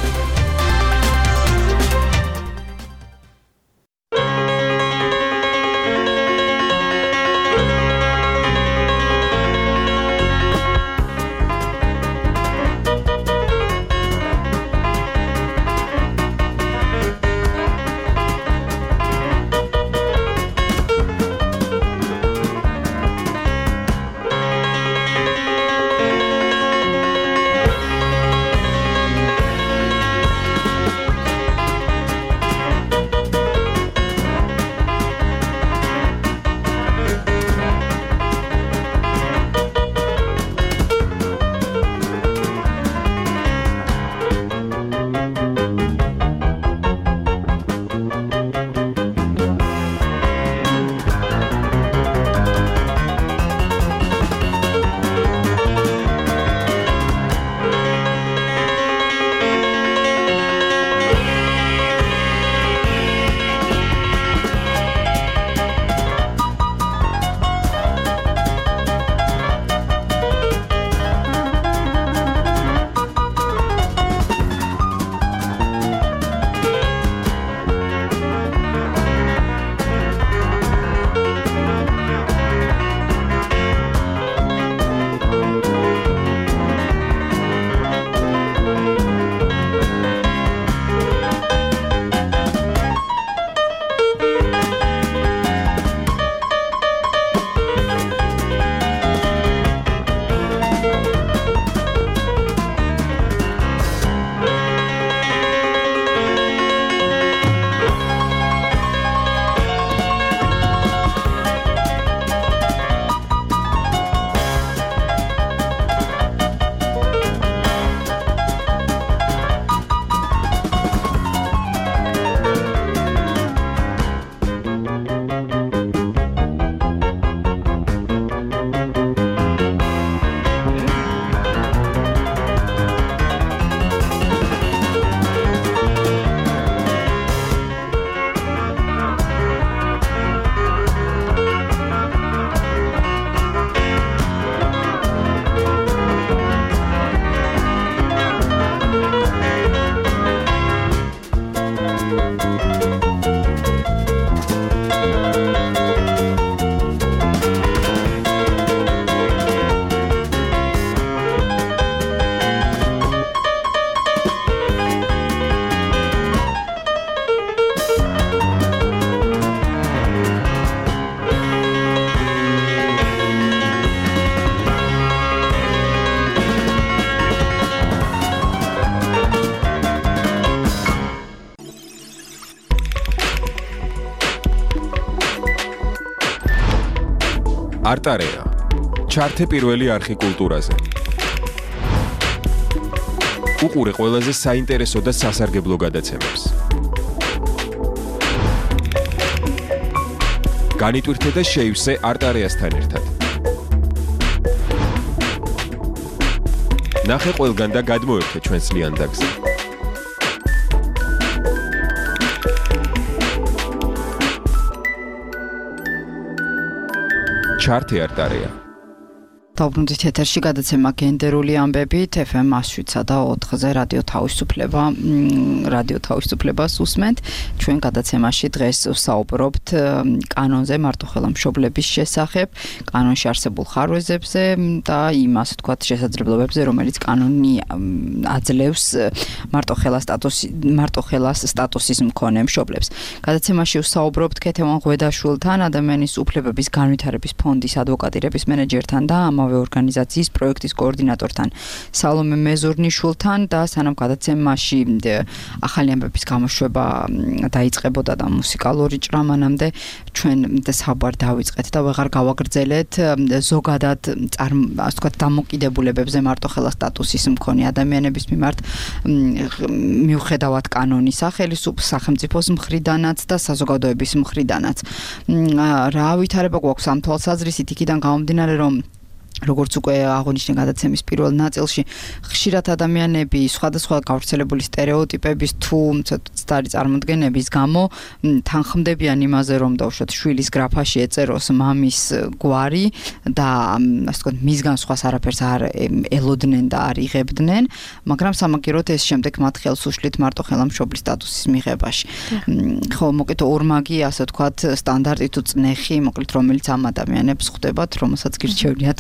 არტარეა. ჩართე პირველი არხი კულტურაზე. უყურე ყველაზე საინტერესო და სასარგებლო გადაცემებს. განიტვირთე და შეივსე არტარეასთან ერთად. ნახე ყველგან და გადმოერთე ჩვენს ლიანდაგზე. ჩართე არტარეა. დავბრუნდით ეთერში გადაცემა გენდერული ამბებით FM 107-ზე და 4-ზე რადიო თავისუფლებას უსმენთ. ჩვენ გადაცემაში დღეს ვსაუბრობთ კანონზე, მარტოხელა მშობლების შესახებ, კანონში არსებულ ხარვეზებზე და იმ ასე ვთქვათ შესაძლებლობებზე, რომელიც კანონი აძლევს მარტოხელას სტატუსის მქონე მშობლებს. გადაცემაში ვსაუბრობთ ქეთევან ღვედაშვილთან, ადამიანის უფლებების განვითარების ფონდის ადვოკატირების მენეჯერთან და ორგანიზაციის პროექტის კოორდინატორთან სალომე მეზურნიშვილთან და სანამ გადაცემაში ახალი ამბების გამოშვება დაიწყებოდა და მუსიკალური ჭრამანამდე ჩვენ საუბარ დავიწყეთ და ვეღარ გავაგრძელეთ ზოგადად ასე ვთქვათ დამოკიდებულებებზე მარტოხელა სტატუსის მქონე ადამიანების მიმართ მიუხედავად კანონის სახელმწიფოს მხრიდანაც და საზოგადოების მხრიდანაც რა ვითარება გვაქვს ამ თვალსაზრისით იქიდან გამომდინარე რომ როგორც უკვე აღნიშნე გადაცემის პირველ ნაწილში ხშირად ადამიანები სხვადასხვა გავრცელებული სტერეოტიპების თუ ცოტა წარმოდგენების გამო თანხმდებიან იმაზე რომ დაუშვათ შვილის გრაფაში ეწეროს მამის გვარი და ასე ვთქვათ მისგან სხვას არაფერს არ ელოდნენ და არ იღებდნენ მაგრამ სამაგიეროდ ეს შემდეგ მათ ხელს უშლით მარტოხელა მშობლის სტატუსის მიღებაში ხო მოკლედ ორმაგი ასე ვთქვათ სტანდარტი თუ წნეხი მოკლედ რომელიც ამ ადამიანებს ხვდებათ რომელსაც გირჩევნიათ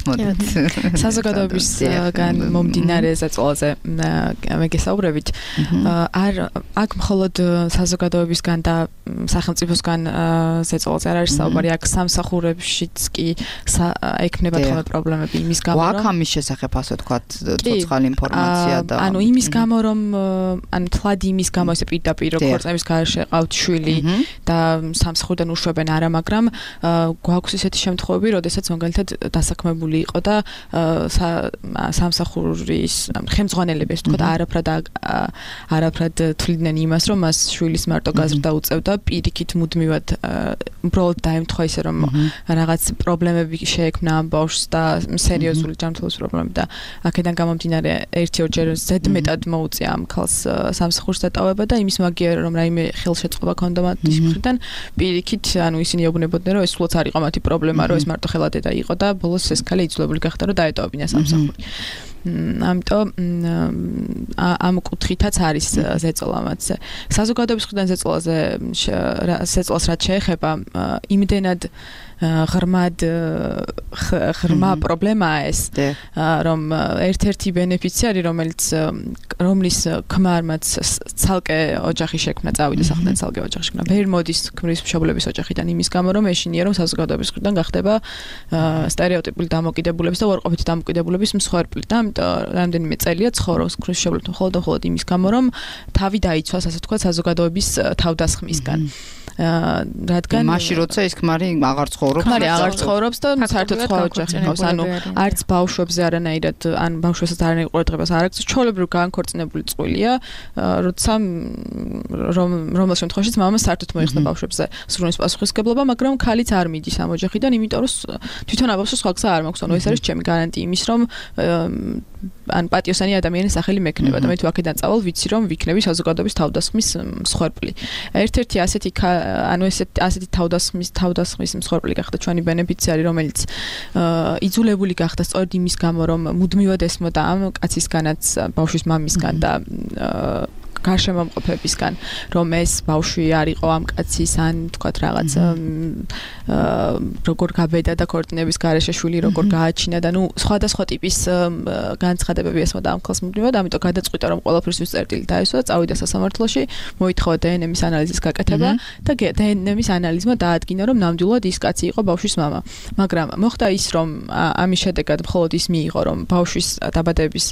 საზოგადოებისგან მომდინარე ზეწოლაზე მეგესაუბრებით აქ მხოლოდ საზოგადოებისგან და სახელმწიფოსგან ზეწოლაზე არ არის საუბარი აქ სამსახურებშიც კი ექნება თქო პრობლემები იმის გამო რომ აქ ამის შესახებ ასე ვთქვათ ცოცხალი ინფორმაცია და ანუ იმის გამო რომ ანუ თლად იმის გამო ესე პირდაპირ რო ქორწინების გარშე ყავთ შვილი და სამსახურიდან უშვებენ არა მაგრამ გვაქვს ისეთი შემთხვევები როდესაც მაგალითად დასაქმებული იყო და სამსახურის ხელმძღვანელებს თქო და არაფრად თვლიდნენ იმას რომ მას შვილის მარტო გაზრდა უწევდა პირიქით მუდმივად უბრალოდ დაემთხვა ისე რომ რაღაც პრობლემები შეექმნა ამ ბავშვს და სერიოზული ჯანმრთელობის პრობლემები და აქედან გამომდინარე 1-2 ზედმეტად მოუწია ამ ქალს სამსახურს დატოვება და იმის მაგიერ რომ რაიმე ხელშეწყობა ქონდა მათის მხრიდან პირიქით ანუ ისინი ეუბნებოდნენ რომ ეს სულაც არ იყო მათი პრობლემა რომ ეს მარტო ხელა დედა იყო და ბოლოს ეს ქალი იძულებული გახდა რომ დაეტოვებინა სამსახური. ამიტომ ამ კუთხითაც არის ზეწოლა მათზე. საზოგადოების მხრიდან ზეწოლას რაც შეეხება იმდენად ღრმა პრობლემაა ეს რომ ერთ-ერთი ბენეფიციარი რომლის ქმარმაც ცალკე ოჯახი შექმნა წავიდა სახლიდან ცალკე ოჯახი შექმნა ვერ მოდის ქმრის მშობლების ოჯახიდან იმის გამო რომ ეშინია რომ საზოგადოების მხრიდან გახდება სტერეოტიპული დამოკიდებულების და უარყოფითი დამოკიდებულების მსხვერპლი და რამდენიმე წელია ცხოვრობს ქმრის მშობლებთან მხოლოდ იმის გამო რომ თავი დაიცვას ასე ვთქვათ საზოგადოების თავდასხმისგან რადგან მაშინ როცა ის ქმარი აღარ ცხოვრობს და საერთოდ სხვა ოჯახი ყავს ანუ არც ბავშვებზე არანაირად ან ბავშვებსაც არანაირ ყურადღებას არ აქვს ჩვეულებრივ განქორწინებული წყვილია როცა რომელ შემთხვევაშიც მამას საერთოდ მოიხსნა ბავშვებზე სრულის პასუხისმგებლობა მაგრამ ქალიც არ მიდის ამ ოჯახიდან იმიტომ რომ თვითონ აბავშვს სხვა გზა არ მაქვს ანუ ეს არის ჩემი გარანტია იმის რომ ან პატიოსანი ადამიანის სახელი მექნება და მე თუ აქედან წავალ ვიცი რომ ვიქნები საზოგადოების თავდასხმის მსხვერპლი ერთ-ერთი ასეთი ანუ ასეთი თავდასხმის მსხვერპლი გახდა ჩვენი ბენეფიციარი რომელიც იძულებული გახდა სწორედ იმის გამო რომ მუდმივად ესმოდა ამ კაცისგანაც ბავშვის მამისგან და გარშემომყოფებისგან რომ ეს ბავშვი არ იყო ამ კაცის ან თქვათ რაღაც როგორ გაბედა და ქორწინების გარეშე შვილი როგორ გააჩინა და ნუ სხვადასხვა ტიპის განცხადებები ესმოდა ამ ქალს მუდმივად ამიტომ გადაწყვიტა რომ ყველაფერთვის წერტილი დაესვა წავიდა სასამართლოში მოითხოვა დნმ-ის ანალიზის გაკეთება და დნმ-ის ანალიზმა დაადგინა რომ ნამდვილად ის კაცი იყო ბავშვის მამა მაგრამ მოხდა ის რომ ამის შედეგად მხოლოდ ის მიიღო რომ ბავშვის დაბადების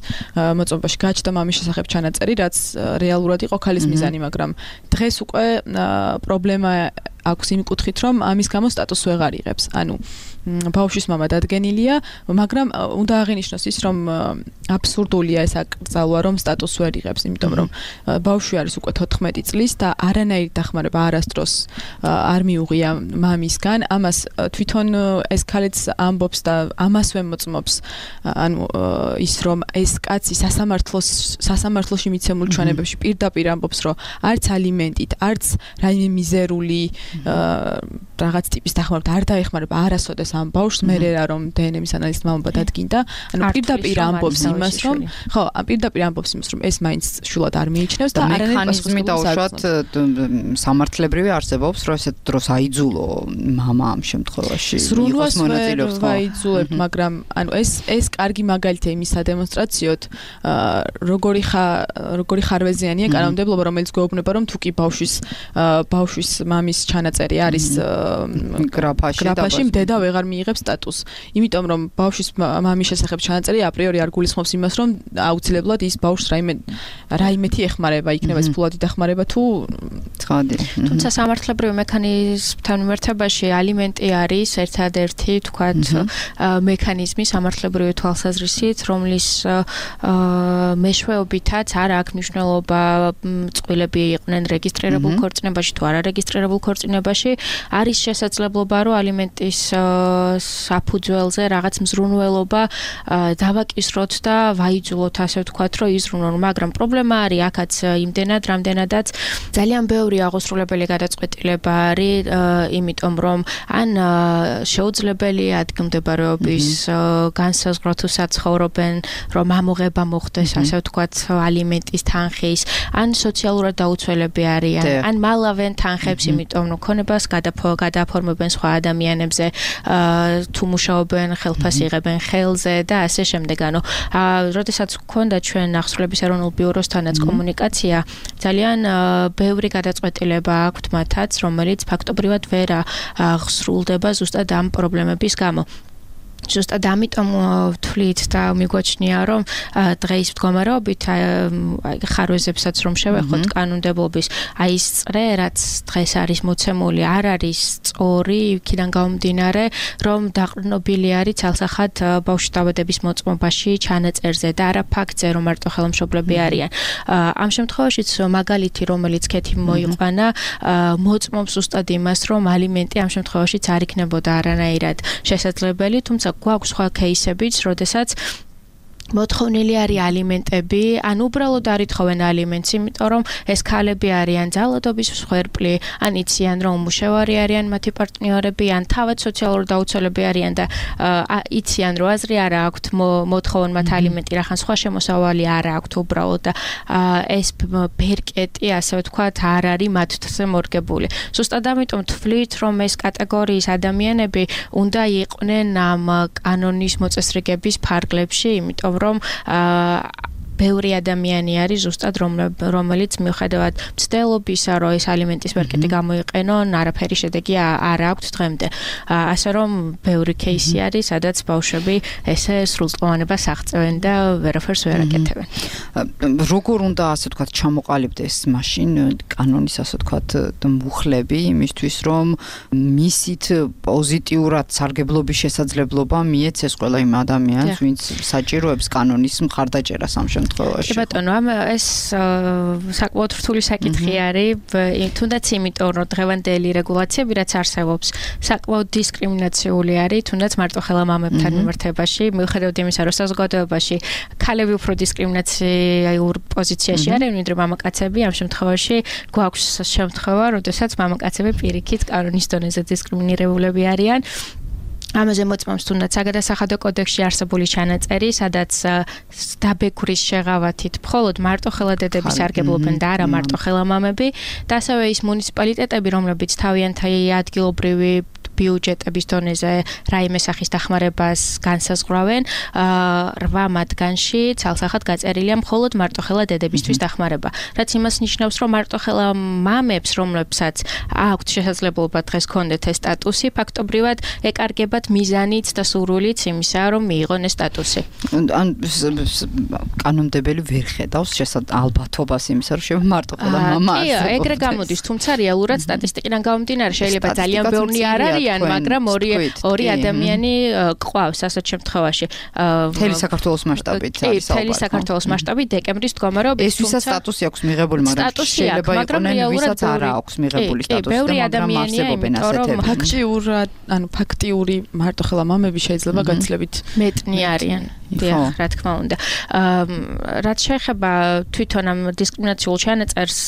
მოწმობაში გაჩნდა მამის შესახებ ჩანაწერი რაც რეალურად იყო ქალის მიზანი, მაგრამ დღეს უკვე პრობლემა აქვს იმ კუთხით, რომ ამის გამო სტატუსს ვეღარ იღებს. ანუ ბავშვის მამა დადგენილია, მაგრამ უნდა აღინიშნოს ის, რომ აბსურდულია ეს აკრძალვა, რომ სტატუსს ვერ იღებს, იმიტომ რომ ბავშვი არის უკვე 14 წლის და არანაირი დახმარება არასდროს არ მიუღია მამისგან. ამას თვითონ ეს ქალიც ამბობს და ამასვე მოწმობს, ანუ ის რომ ეს კაცი სასამართლოში მიცემულ ჩვენებებში პირდაპირ ამბობს, რომ არც ალიმენტით, არც რაიმე მიზერული რაღაც ტიპის დახმარება არ დაეხმარება არასოდეს ამ ბავშვს, მერე რა რომ დნმ-ის ანალიზით მამობა დადგინდა. ანუ პირდაპირ ამბობს იმას, რომ ხო, პირდაპირ ამბობს იმას, რომ ეს მაინც შულად არ მიიჩნევს და არანაირი მექანიზმი დაუშვათ სამართლებრივი არსებობს, რომ ესეთ დროს აიძულო მამა ამ შემთხვევაში იყოს მონაწილეობს. აიძულებთ, მაგრამ ანუ ეს კარგი მაგალითია იმის სადემონსტრაციოდ, როგორი ხარვეზიანია კანონმდებლობა, რომელიც გვეუბნება, რომ თუ კი ბავშვის მამის ჩანაწერი არის გრაფაში, დედა ვეღარ მიიღებს სტატუსს. იმიტომ რომ ბავშვის მამის შესახებ ჩანაწერი აპრიორი არ გულისხმობს იმას, რომ აუცილებლად ის ბავშვს რაიმეთი ეხმარება, იქნება ეს ფულადი დახმარება თუ ცხადი. თუმცა სამართლებრივი მექანიზმთან მიმართებაში ალიმენტი არის ერთადერთი, თქვათ, მექანიზმი სამართლებრივი თვალსაზრისით, რომლის მეშვეობითაც არ აქვს მნიშვნელობა წყვილები იყვნენ რეგისტრირებულ ქორწინებაში თუ არარეგისტრირებულ ქორწინებაში, არის შესაძლებლობა, რომ ალიმენტის საფუძველზე რაღაც მზრუნველობა დავაკისროთ და ვაიძულოთ, ასე ვთქვათ, რომ იზრუნონ, მაგრამ პრობლემა არის აქაც იმდენად, რამდენადაც ძალიან ბევრი აღოსრულებელი გადაწყვეტილება არის, იმიტომ რომ ან შეუძლებელია ადგილმდებარეობის განსაზღვრა თუ საცხოვრობენ, რომ ამოღება მოხდეს, ასე ვთქვათ, ალიმენტის თანხის, ან სოციალურად დაუცველები არიან, ან მალავენ თანხებს, იმიტომ რომ ქონებას გადაფორმებენ სხვა ადამიანებზე, თუ მუშაობენ, ხელფასს იღებენ ხელზე და ასე შემდეგ. ანუ როდესაც გქონდა ჩვენ აღსრულების ეროვნულ ბიუროსთანაც კომუნიკაცია, ძალიან ბევრი გადაწყვეტილება აქვთ მათაც, რომელიც ფაქტობრივად ვერ აღსრულდება ზუსტად ამ პრობლემების გამო. ზუსტად ამიტომ ვთვლით და მიგვაჩნია, რომ დღეის მდგომარეობით ხარვეზებსაც რომ შევეხოთ კანონმდებლობის, აი ეს წრე, რაც დღეს არის მოცემული, არ არის სწორი, იქიდან გამომდინარე, რომ დაყრდნობილი არის ცალსახად ბავშვის დაბადების მოწმობაში ჩანაწერზე და არა ფაქტზე, რომ მარტო ხელმშობლები არიან. ამ შემთხვევაშიც მაგალითი, რომელიც ქეთი მოიყვანა, მოწმობს ზუსტად იმას, რომ ალიმენტი ამ შემთხვევაშიც არ იქნებოდა არანაირად შესაძლებელი, თუმცა გვაქვს სხვა кейსებიც, როდესაც მოთხოვნილი არის ალიმენტები, ან უბრალოდ არ ითხოვენ ალიმენტს, იმიტომ რომ ეს ქალები არიან ძალადობის მსხვერპლი, ან იციან რომ უმუშევარი არიან მათი პარტნიორები, ან თავად სოციალურად დაუცველები არიან და იციან რომ აზრი არ აქვთ მოთხოვონ მათ ალიმენტი, რახან სხვა შემოსავალი არ აქვთ უბრალოდ და ეს ბერკეტი, ასე ვთქვათ, არ არის მათზე მორგებული. ზუსტად ამიტომ თვლით, რომ ეს კატეგორიის ადამიანები უნდა იყვნენ ამ კანონის მოწესრიგების ფარგლებში, იმიტომ რომ ბევრი ადამიანი არის ზუსტად რომელიც მიუხედავად მცდელობისა, რომ ეს ალიმენტის ბერკეტი გამოიყენონ, არაფერი შედეგი არ აქვთ დღემდე. ასე რომ ბევრი кейსი არის, სადაც ბავშვები ესე სრულწლოვანებას აღწევენ და ვერაფერს ვერ აკეთებენ. როგორ უნდა, ასე ვთქვათ, ჩამოყალიბდეს მაშინ კანონის, ასე ვთქვათ, მუხლები იმისთვის, რომ მისით პოზიტიურად სარგებლობის შესაძლებლობა მიეცეს ყველა იმ ადამიანს, ვინც საჭიროებს კანონის მხარდაჭერას ამ შემთხვევაში. კი ბატონო, ეს საკმაოდ რთული საკითხი არის, თუნდაც იმიტომ, რომ დღევანდელი რეგულაციები, რაც არსებობს, საკმაოდ დისკრიმინაციული არის, თუნდაც მარტო ხელა მამებთან მიმართებაში, მიუხედავად იმისა, რომ საზოგადოებაში ქალები უფრო დისკრიმინაციურ პოზიციაში არიან, ვიდრე მამაკაცები, ამ შემთხვევაში გვაქვს შემთხვევა, როდესაც მამაკაცები პირიქით კანონის დონეზე დისკრიმინირებულები არიან. ამაზე მოწმობს თუნდაც საგადასახადო კოდექსში არსებული ჩანაწერი, სადაც დაბეგვრის შეღავათით მხოლოდ მარტოხელა დედები სარგებლობენ და არა მარტოხელა მამები და ასევე ის მუნიციპალიტეტები, რომლებიც თავიანთი ადგილობრივი ბიუჯეტების დონეზე რაიმე სახის დახმარებას განსაზღვრავენ, 8 მათგანში ცალსახად გაწერილია მხოლოდ მარტოხელა დედებისთვის დახმარება. რაც იმას ნიშნავს, რომ მარტოხელა მამებს, რომლებსაც აქვთ შესაძლებლობა დღეს ქონდეთ ეს სტატუსი, ფაქტობრივად ეკარგებათ მიზანიც და სურვილიც იმისა, რომ მიიღონ ეს სტატუსი. ან კანონმდებელი ვერ ხედავს ალბათობას იმისა, რომ შეიძლება მარტოხელა მამა კი, ეგრე გამოდის, თუმცა რეალურად სტატისტიკიდან გამომდინარე შეიძლება ძალიან ბევრი არ არიან, მაგრამ ორი ადამიანი ყავს ასეთ შემთხვევაში. მთელი საქართველოს მასშტაბით არის მთელი საქართველოს მასშტაბით დეკემბრის მდგომარეობა ეს ვისაც სტატუსი აქვს მიღებული, მაგრამ შეიძლება იყვნენ ვისაც არ აქვს მიღებული სტატუსი და მაგრამ არსებობენ ასეთები. ფაქტიური მარტოხელა მამები შეიძლება გაცილებით მეტნი არიან. დიახ, რა თქმა უნდა. რაც შეეხება თვითონ ამ დისკრიმინაციულ ჩანაწერს,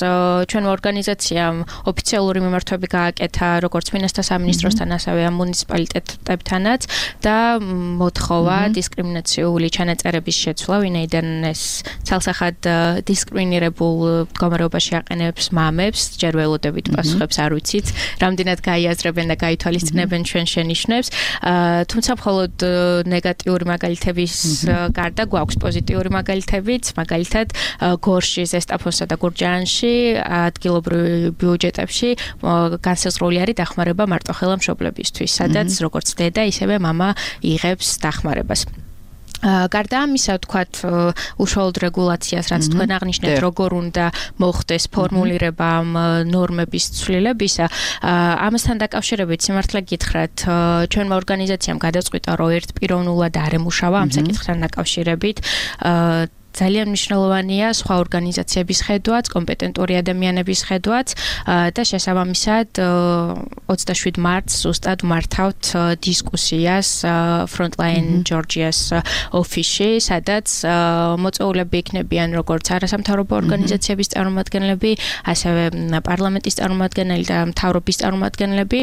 ჩვენმა ორგანიზაციამ ოფიციალური მიმართვები გააკეთა როგორც მინისტრთა სამინისტროსთან, ასევე ამ მუნიციპალიტეტებთანაც და მოთხოვა დისკრიმინაციული ჩანაწერების შეცვლა, ვინაიდან ეს ცალსახად დისკრიმინირებულ მდგომარეობაში აყენებს მამებს, ჯერ ველოდებით პასუხებს არ ვიცით, რამდენად გაიაზრებენ და გაითვალისწინებენ ჩვენ შენიშვნებს, თუმცა მხოლოდ ნეგატიური მაგალითების გარდა გვაქვს პოზიტიური მაგალითებიც, მაგალითად გორში, ზესტაფონსა და გურჯაანში ადგილობრივ ბიუჯეტებში განსაზღვრული არის დახმარება მარტოხელა მშობლებისთვის, სადაც როგორც დედა, ისევე მამა იღებს დახმარებას. გარდა ამისა, ვთქვათ, უშუალოდ რეგულაციას, რაც თქვენ აღნიშნეთ, როგორ უნდა მოხდეს ფორმულირება ამ ნორმების ცვლილებისა, ამასთან დაკავშირებით სიმართლე გითხრათ, ჩვენმა ორგანიზაციამ გადაწყვიტა, რომ ერთპიროვნულად არ ემუშავა ამ საკითხთან დაკავშირებით. ძალიან მნიშვნელოვანია სხვა ორგანიზაციების ხედვაც, კომპეტენტური ადამიანების ხედვაც და შესაბამისად 27 მარტს ზუსტად მართავთ დისკუსიას Frontline Georgia's ოფისში, სადაც მოწვეულები იქნებიან როგორც არასამთავრობო ორგანიზაციების წარმომადგენლები, ასევე პარლამენტის წარმომადგენელი და მთავრობის წარმომადგენლები.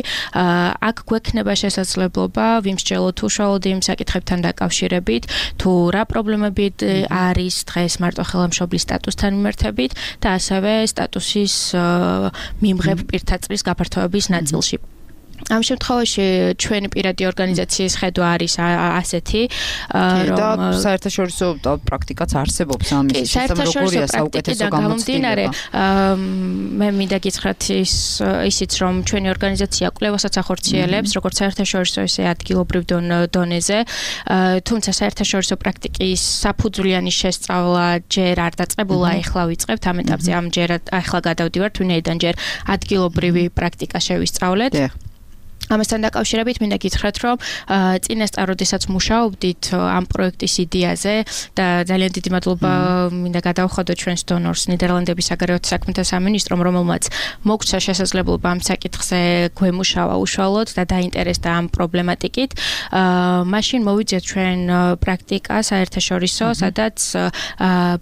აქ გვექნება შესაძლებლობა ვიმსჯელოთ უშუალოდ იმ საკითხებთან დაკავშირებით, თუ რა პრობლემები არის დღეს მარტოხელა მშობლის სტატუსთან მიმართებით და ასევე სტატუსის მიმღებ პირთაწრის გაფართოების ნაწილში. ამ შემთხვევაში ჩვენი პირადი ორგანიზაციის ხედვა არის ასეთი, რომ საერთაშორისო პრაქტიკაც არსებობს ამის როგორია საუკეთესო გამოცდილება. მე მინდა გითხრათ ისიც, რომ ჩვენი ორგანიზაცია კვლევასაც ახორციელებს, როგორც საერთაშორისო, ისე ადგილობრივ დონეზე, თუმცა საერთაშორისო პრაქტიკის საფუძვლიანი შესწავლა ჯერ არ დაწყებულა, ეხლა ვიწყებთ ამ ეტაპზე, ახლა გადავდივართ, ვინაიდან ჯერ ადგილობრივი პრაქტიკა შევისწავლეთ. ამასთან დაკავშირებით მინდა გითხრათ, რომ წინასწარ როდესაც მუშაობდით ამ პროექტის იდეაზე და ძალიან დიდი მადლობა მინდა გადავხადოთ ჩვენს დონორს, ნიდერლანდების საგარეო საქმეთა სამინისტრომ, რომელმაც მოგცა შესაძლებლობა ამ საკითხზე გვემუშავა უშუალოდ და დაინტერესდა ამ პრობლემატიკით. მაშინ მოვიძიეთ ჩვენ პრაქტიკა საერთაშორისო, სადაც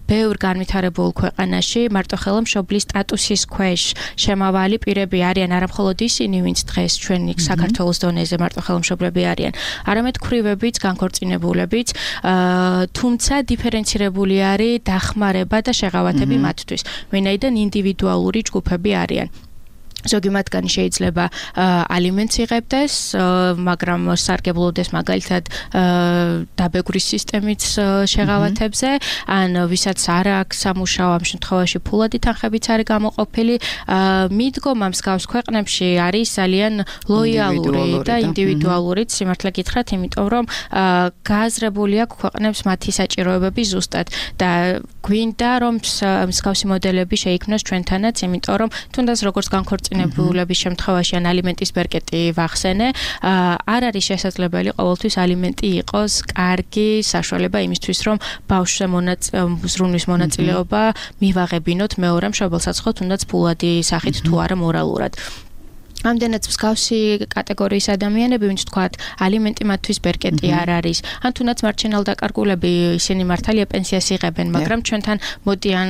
ბევრ განვითარებულ ქვეყანაში მარტოხელა მშობლის სტატუსის ქვეშ შემავალი პირები არიან არა მხოლოდ ისინი, ვინც დღეს ჩვენი საქართველოს დონეზე მარტოხელა მშობლები არიან, არამედ ქვრივებიც, განქორწინებულებიც, თუმცა დიფერენცირებული არის დახმარება და შეღავათები მათთვის, ვინაიდან ინდივიდუალური ჯგუფები არიან. ზოგი მათგანი შეიძლება ალიმენტს იღებდეს, მაგრამ სარგებლობდეს მაგალითად დაბეგვრის სისტემით შეღავათებზე, ან ვისაც არ აქვს სამუშაო, ამ შემთხვევაში ფულადი თანხებიც არის გამოყოფილი. მიდგომა მსგავს ქვეყნებში არის ძალიან ლოიალური და ინდივიდუალური, სიმართლე გითხრათ, იმიტომ რომ გააზრებული აქვს ქვეყნებს მათი საჭიროებები ზუსტად და გვინდა რომ მსგავსი მოდელები შეიქმნას ჩვენთანაც, იმიტომ რომ თუნდაც როგორც განქორწინებულების შემთხვევაში ან ალიმენტის ბერკეტი ვახსენე, არ არის შესაძლებელი ყოველთვის ალიმენტი იყოს კარგი საშუალება იმისთვის, რომ ბავშვზე ზრუნვის მონაწილეობა მივაღებინოთ მეორე მშობელსაც ხო თუნდაც ფულადი სახით თუ არა მორალურად. ამდენად მსგავსი კატეგორიის ადამიანები, ვინც თქვათ, ალიმენტი მათთვის ბერკეტი არ არის, ან თუნდაც მარჩენალ დაკარგულები, ისინი მართალია პენსიას იღებენ, მაგრამ ჩვენთან მოდიან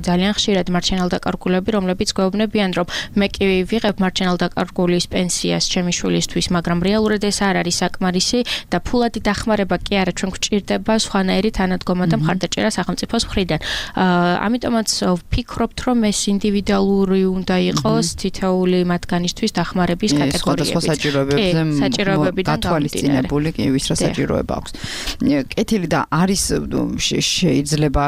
ძალიან ხშირად მარჩენალ დაკარგულები, რომლებიც გვეუბნებიან, რომ მე კი ვიღებ მარჩენალ დაკარგულის პენსიას ჩემი შვილისთვის, მაგრამ რეალურად ეს არ არის საკმარისი და ფულადი დახმარება კი არა, ჩვენ გვჭირდება სხვანაირი თანადგომა და მხარდაჭერა სახელმწიფოს მხრიდან. ამიტომაც ვფიქრობთ, რომ ეს ინდივიდუალური უნდა იყოს თითოეული მათგანისთვის მათთვის დახმარების კატეგორიები. სხვადასხვა საჭიროებებიდან გათვალისწინებული კი ვის რა საჭიროება აქვს. კეთილი და არის შეიძლება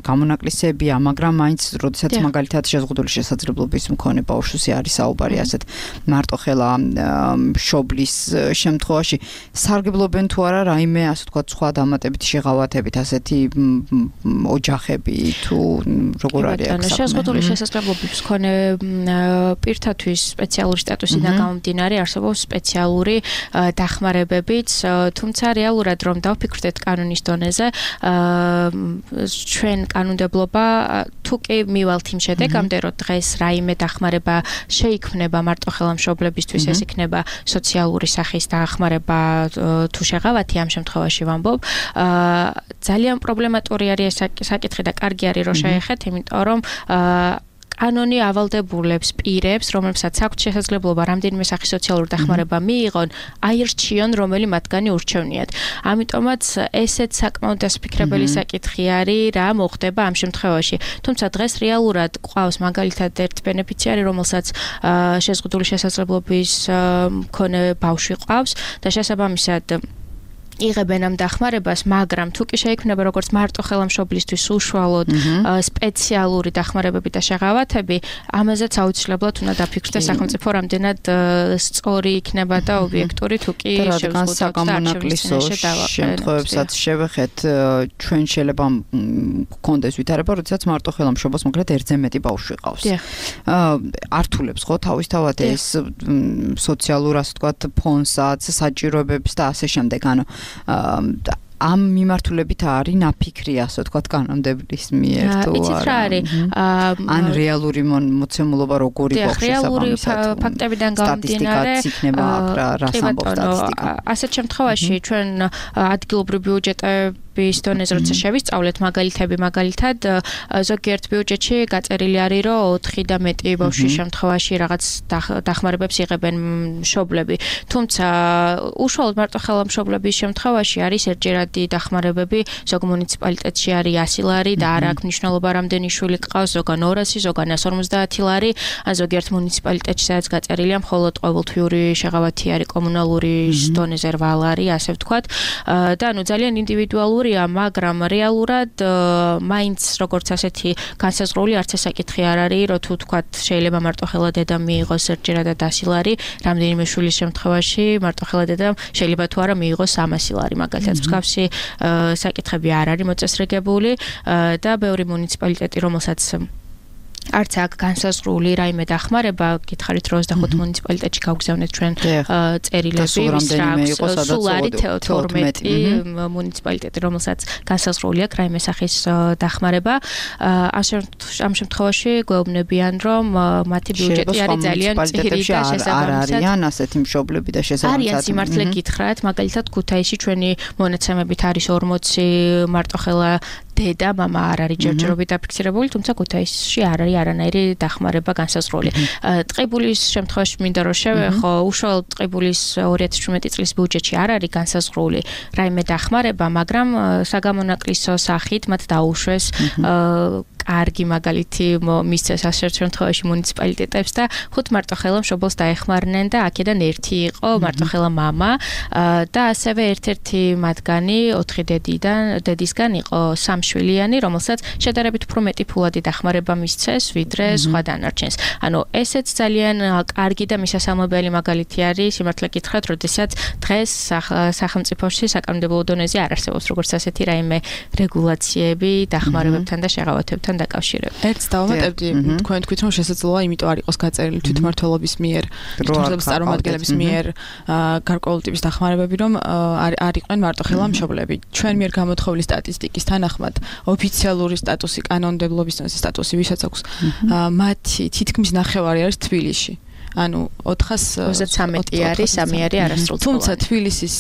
გამონაკლისებია, მაგრამ მაინც როდესაც მაგალითად შეზღუდული შესაძლებლობის მქონე ბავშვზე არის საუბარი ასეთ მარტოხელა მშობლის შემთხვევაში სარგებლობენ თუ არა რაიმე ასე ვთქვათ სხვა დამატებითი შეღავათებით ასეთი ოჯახები თუ როგორ არის აქ შეზღუდული შესაძლებლობის მქონე პირთათვის სპეციალური სტატუსიდან გამომდინარე არსებობს სპეციალური დახმარებებიც, თუმცა რეალურად რომ დავფიქრდეთ კანონის დონეზე, ჩვენ კანონმდებლობა თუ კი მივალთ იმ შედეგამდე, რომ დღეს რაიმე დახმარება შეიქმნება მარტოხელა მშობლებისთვის, ეს იქნება სოციალური სახის დახმარება თუ შეღავათი ამ შემთხვევაში ვამბობ, ძალიან პრობლემატური არის ეს საკითხი და კარგი არის რომ შეეხეთ, იმიტომ რომ კანონი ავალდებულებს პირებს, რომლებსაც აქვთ შესაძლებლობა რამდენიმე სახის სოციალური დახმარება მიიღონ, აირჩიონ, რომელი მათგანი ურჩევნიათ. ამიტომაც ესეც საკმაოდ დასაფიქრებელი საკითხი არის, რა მოხდება ამ შემთხვევაში. თუმცა დღეს რეალურად ყავს მაგალითად ერთ ბენეფიციარი, რომელსაც შეზღუდული შესაძლებლობის მქონე ბავშვი ყავს და შესაბამისად იღებენ ამ დახმარებას, მაგრამ თუ კი შეიქმნება როგორც მარტოხელა მშობლისთვის უშუალოდ სპეციალური დახმარებები და შეღავათები, ამაზეც აუცილებლად უნდა დაფიქრდეს სახელმწიფო რამდენად სწორი იქნება და ობიექტური თუ კი შემთხვევებსაც შევეხეთ, ჩვენ შეიძლება გქონდეს ვითარება, როდესაც მარტოხელა მშობელს მაგრამ ერთზე მეტი ბავშვი ყავს. ართულებს ხო თავისთავად ეს სოციალურ ასე ვთქვათ ფონსაც, საჭიროებებს და ასე შემდეგ, ანუ ამ მიმართულებით არის ნაფიქრი ასე ვთქვათ კანონმდებლობის მიერ თუ არა. ან რეალური მოცემულობა როგორი გვაქვს შესაბამისად. ფაქტებიდან გამომდინარე, იქნება რა სამბობს სტატისტიკა. ასეთ შემთხვევაში ჩვენ ადგილობრივი ბიუჯეტების დონეზე როცა შევისწავლეთ მაგალითად ზოგიერთ ბიუჯეტში გაწერილი არის რომ 4 და მეტი ბავშვის შემთხვევაში რაღაც დახმარებებს იღებენ მშობლები. თუმცა უშუალოდ მარტოხელა მშობლების შემთხვევაში არის ერთჯერადი დახმარებები, ზოგ მუნიციპალიტეტში არის 100 ლარი და არ აქვს მნიშვნელობა რამდენი შვილი გყავს, ზოგან 200, ზოგან 150 ლარი, ან ზოგიერთ მუნიციპალიტეტში სადაც გაწერილია მხოლოდ ყოველთვიური შეღავათი არის კომუნალური დონეზე 8 ლარი, ასე ვთქვათ. და ანუ ძალიან ინდივიდუალურია, მაგრამ რეალურად მაინც როგორც ასეთი განსაზღვრული არც ეს საკითხი არ არის, რომ თუ თქვათ შეიძლება მარტოხელა დედამ მიიღოს ერთჯერადად 100 ლარი, რამდენიმე შვილის შემთხვევაში მარტოხელა დედამ შეიძლება თუ არა მიიღოს 300 ლარი, მაგალითად მსგავსი საკითხები არ არის მოწესრიგებული და ბევრი მუნიციპალიტეტი, რომელსაც არც აქ განსაზღვრული რაიმე დახმარება, გითხარით 25 მუნიციპალიტეტში გავგზავნეთ ჩვენ წერილები, სულ არის 12 მუნიციპალიტეტი, რომელსაც განსაზღვრული აქვს რაიმე სახის დახმარება. ამ შემთხვევაში გვეუბნებიან, რომ მათი ბიუჯეტი არის ძალიან ძლიერი და შესაბამისად არიან ასეთი მშობლები და შესაბამისად არიან სიმართლე გითხრათ, მაგალითად ქუთაისში ჩვენი მონაცემებით არის 40 მარტოხელა დედა, მამა არ არის ჯერჯერობით დაფიქსირებული, თუმცა ქუთაისში არ არის არანაირი დახმარება განსაზღვრული. ტყიბულის შემთხვევაში მინდა რომ შევეხო, უშუალოდ ტყიბულის 2017 წლის ბიუჯეტში არ არის განსაზღვრული რაიმე დახმარება, მაგრამ საგამონაკლისო სახით მათ დაუშვეს კარგი მაგალითი მისცეს ასეთ შემთხვევაში მუნიციპალიტეტებს და 5 მარტოხელა მშობელს დაეხმარნენ და აქედან ერთი იყო მარტოხელა მამა და ასევე ერთ-ერთი მათგანი 4 დედისგან იყო სამშვილიანი, რომელსაც შედარებით უფრო მეტი ფულადი დახმარება მისცეს ვიდრე სხვა დანარჩენს. ანუ ესეც ძალიან კარგი და მისასალმებელი მაგალითი არის, სიმართლე გითხრათ, როდესაც დღეს სახელმწიფოში საკანონმდებლო დონეზე არ არსებობს როგორც ასეთი რაიმე რეგულაციები დახმარებებთან და შეღავათებთან დაკავშირებით. ერთს დავამატებდი, თქვენ თქვით რომ შესაძლოა იმიტომ არ იყოს გაწერილი თვითმმართველობის მიერ, თვითმმართველობის წარმომადგენლების მიერ გარკვეული ტიპის დახმარებები, რომ არ იყვნენ მარტოხელა მშობლები. ჩვენ მიერ გამოთხოვილი სტატისტიკის თანახმად ოფიციალური სტატუსი, კანონმდებლობის სტატუსი, ვისაც აქვს, მათი თითქმის ნახევარი არის თბილისში. ანუ 413 არის, 3 არის არასრულწლოვანი. თუმცა თბილისის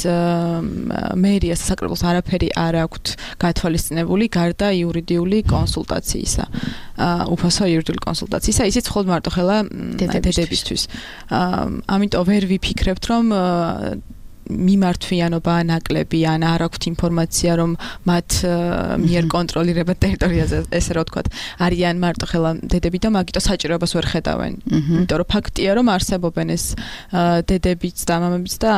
მერიას საკრებულოს არაფერი არ აქვთ გათვალისწინებული გარდა იურიდიული კონსულტაციისა. უფასო იურიდიული კონსულტაციისა, ისიც მხოლოდ მარტოხელა დედებისთვის. ამიტომ ვერ ვიფიქრებთ, რომ მიმართვიანობა ნაკლები ან არ აქვთ ინფორმაცია რომ მათ მიერ კონტროლირება ტერიტორიაზე ესე რა ვთქვათ არიან მარტო ხელა დედები და მაგიტო საჭიროებას ვერ ხედავენ იმიტომ რომ ფაქტია რომ არსებობენ ეს დედებიც და მამებიც და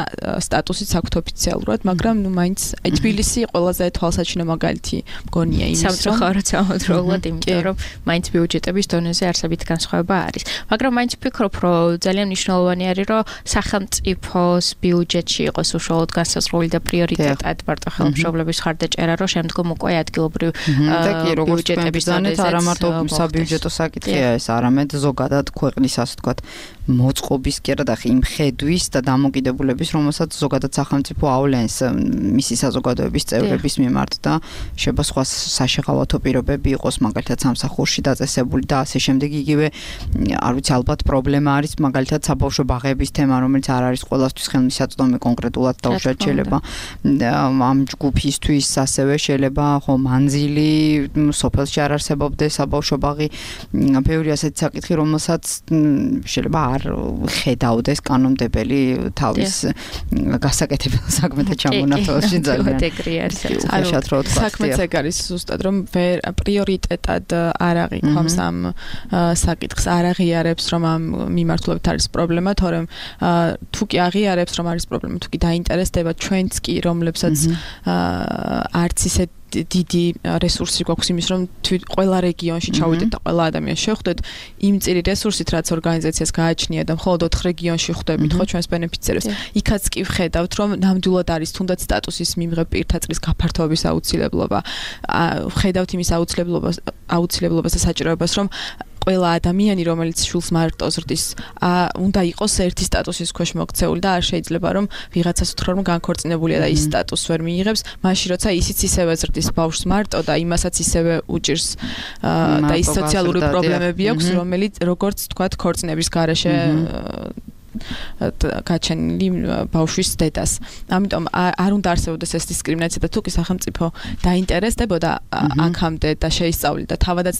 სტატუსიც აქვთ ოფიციალურად მაგრამ ნუ მაინც თბილისი ყველაზე თვალსაჩინო მაგალითი მგონია იმის სამწუხაროდ იმიტომ რომ მაინც ბიუჯეტების დონეზე არსებით განსხვავება არის მაგრამ მაინც ვფიქრობ რომ ძალიან მნიშვნელოვანი არის რომ სახელმწიფოს ბიუჯეტში იყოს უშუალოდ განსაზღვრული და პრიორიტეტად მარტო ხელმშობლების ხარდაჭერა რომ შემდგომ უკვე ადგილობრივ ბიუჯეტების დონეზე არა მარტო საბიუჯეტო საკითხია ეს არამედ ზოგადად ქვეყნის ასე ვთქვათ მოწყობის კი არა და იმ ხედვის და დამოკიდებულების რომელსაც ზოგადად სახელმწიფო ავლენს მისი საზოგადოების წევრების მიმართ და შეიძლება სხვა საშეღავათო პირობები იყოს მაგალითად სამსახურში დაწესებული და ასე შემდეგ იგივე არ ვიცი ალბათ პრობლემა არის მაგალითად საბავშვო ბაღების თემა რომელიც არ არის ყველასთვის ხელმისაწვდომი კონკრეტულად დაუშვათ შეიძლება ამ ჯგუფისთვის ასევე შეიძლება ხო მანძილი სოფელში არ არსებობდეს საბავშვო ბაღი ბევრი ასეთი საკითხი რომელსაც შეიძლება არ ხედავდეს კანონმდებელი თავის გასაკეთებელ საქმეთა ჩამონათვალში ძალიან საქმეც ეგ არის ზუსტად რომ პრიორიტეტად არ აღიქვამს ამ საკითხს არ აღიარებს რომ ამ მიმართულებით არის პრობლემა თორემ თუ კი აღიარებს რომ არის პრობლემა თუ კი დაინტერესდება ჩვენც კი რომლებსაც არც ისე დიდი რესურსი გვაქვს იმის რომ ყველა რეგიონში ჩავიდეთ და ყველა ადამიანს შევხვდეთ იმ წირი რესურსით რაც ორგანიზაციას გააჩნია და მხოლოდ 4 რეგიონში ხვდებით ხო ჩვენს ბენეფიციერებს იქაც კი ვხედავთ რომ ნამდვილად არის თუნდაც სტატუსის მიმღებ პირთა წრის გაფართოების აუცილებლობა ვხედავთ იმის აუცილებლობას და საჭიროებას რომ ყველა ადამიანი რომელიც შულს მარტო ზრდის უნდა იყოს ერთი სტატუსის ქვეშ მოქცეული და არ შეიძლება რომ ვიღაცას უთხრა რომ განქორწინებულია და ის სტატუსს ვერ მიიღებს მაშინ როცა ისიც ისევე ზრდის ბავშვს მარტო და იმასაც ისევე უჭირს და ის სოციალური პრობლემები აქვს რომელიც როგორც თქვათ ქორწინების გარეშე გაჩენილი ბავშვის დედას. ამიტომ არ უნდა არსებობდეს ეს დისკრიმინაცია და თუკი სახელმწიფო დაინტერესდებოდა აქამდე და შეისწავლიდა და თავადაც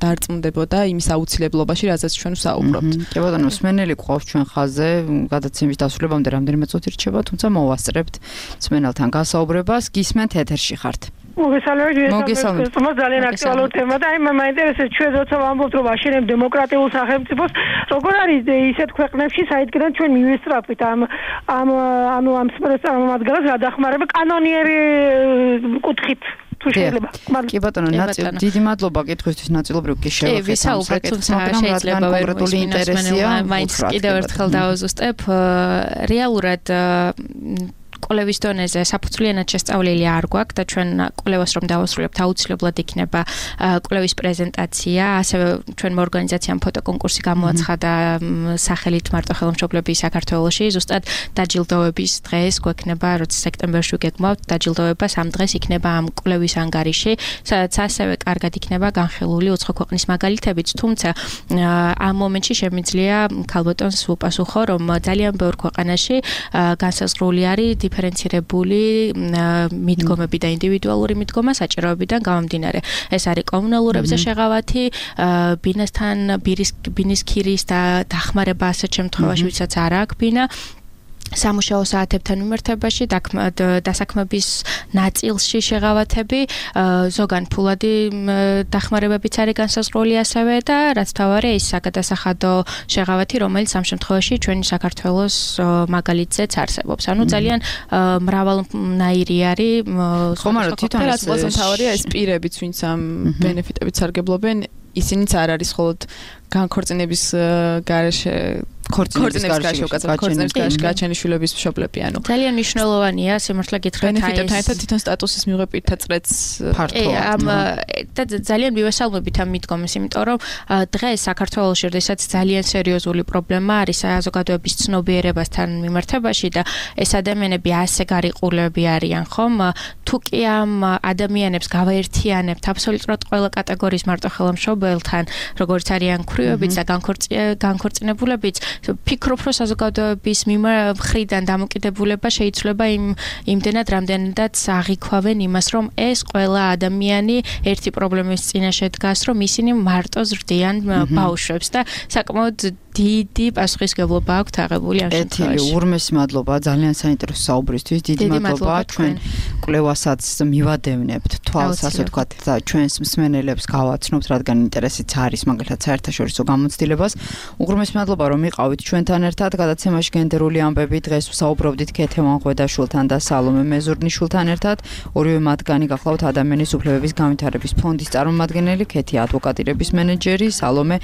დარწმუნდებოდა იმის აუცილებლობაში, რაზეც ჩვენ ვსაუბრობთ. კი ბატონო, მსმენელი გვყავს ჩვენ ხაზზე, გადაცემის დასრულებამდე რამდენიმე წუთი რჩება, თუმცა მოვასწრებთ მსმენელთან გასაუბრებას, გისმენთ ეთერში ხართ. მოგესალმებით. ძალიან აქტუალური თემა და მაინტერესებს ჩვენ როცა ვამბობთ რომ აშენებ დემოკრატიულ სახელმწიფოს, როგორ არის ისეთ ქვეყნებში, საიდანაც ჩვენ მივესწრაფვით ამ სპეციფიკურ გადახმარება კანონიერი კუთხით. კი ბატონო, დიდი მადლობა კითხვისთვის, ნაწილობრივ კი შევეხეთ შეიძლება კონკრეტული ინტერესია. მაინც კიდევ ერთხელ დავაზუსტებ, რეალურად კოლევის დონეზე საფუძვლიანად შესწავლილი არ გვაქვს და ჩვენ კოლევას რომ დავასრულებთ აუცილებლად იქნება კოლევის პრეზენტაცია, ასევე ჩვენმა ორგანიზაციამ ფოტოკონკურსი გამოაცხადა სახელით მარტო ხელმშობლები საქართველოში, ზუსტად დაჯილდოების დღეს გვექნება, როცა სექტემბერში გეგმავთ დაჯილდოებას, ამ დღეს იქნება ამ კოლევის ანგარიში, სადაც ასევე კარგად იქნება განხილული უცხო ქვეყნის მაგალითებიც, თუმცა ამ მომენტში შემიძლია ქალბატონს უპასუხო, რომ ძალიან ბევრ ქვეყანაში განსაზღვრული არის დიფერენცირებული მიდგომები და ინდივიდუალური მიდგომა საჭიროებიდან გამომდინარე. ეს არის კომუნალურებზე შეღავათი, ბინის ქირის და დახმარება ასეთ შემთხვევაში, ვისაც არ აქვს ბინა. სამუშაო საათებთან მიმართებაში, დასაქმების ნაწილში შეღავათები, ზოგან ფულადი დახმარებებიც არის განსაზღვრული ასევე და რაც თავარია ის საგადასახადო შეღავათი, რომელიც ამ შემთხვევაში ჩვენი საქართველოს მაგალითზეც არსებობს. ანუ ძალიან მრავალნაირი არის. ხომ არა, თვითონ რაც ყველაზე თავარია ეს პირებიც, ვინც ამ ბენეფიტებით სარგებლობენ, ისინიც არ არის მხოლოდ განქორწინების გარეშე ქორწინების გარეშე გაჩენის შვილების მშობლები, ანუ ძალიან მნიშვნელოვანია სიმართლე გითხრათ აი ბენეფიტებთან ერთად თვითონ სტატუსის მიღება პირთა წრეც ფართოა. და ძალიან მივესალმებით ამ მიდგომას, იმიტომ რომ დღეს საქართველოში, როდესაც ძალიან სერიოზული პრობლემა არის საზოგადოების ცნობიერებასთან მიმართებაში და ეს ადამიანები ასე გარიყულები არიან, ხომ? თუ კი ამ ადამიანებს გავაერთიანებთ აბსოლუტურად ყველა კატეგორიის მარტო ხელმშობელთან, როგორც არიან ქვრივებიც და განქორწინებულებიც, ფიქრობ, რომ საზოგადოების მხრიდან დამოკიდებულება შეიძლება იმდენად რამდენადაც აღიქვავენ იმას, რომ ეს ყველა ადამიანი ერთი პრობლემის წინაშე დგას, რომ ისინი მარტო ზრდიან ბავშვებს და საკმაოდ დიდი პასუხისმგებლობა აქვს აღებული ამ შემთხვევაში. ურმესი მადლობა ძალიან საინტერესო საუბრისთვის. დიდი მადლობა ჩვენ კვლევასაც მივადევნებთ თვალს, ასე ვთქვათ, და ჩვენს მსმენელებს გავაცნობთ, რადგან ინტერესიც არის მაგალითად საერთაშორისო გამოცდილებას. უღრმესი მადლობა რომ იყავით ჩვენთან ერთად. გადაცემაში გენდერული ამბები დღეს ვსაუბრობდით ქეთე ვანღვედაშვილთან და სალომე მეზურნიშვილთან ერთად. ორივე მათგანი გახლავთ ადამიანის უფლებების განვითარების ფონდის წარმომადგენელი, ქეთი ადვოკატირების მენეჯერი, სალომე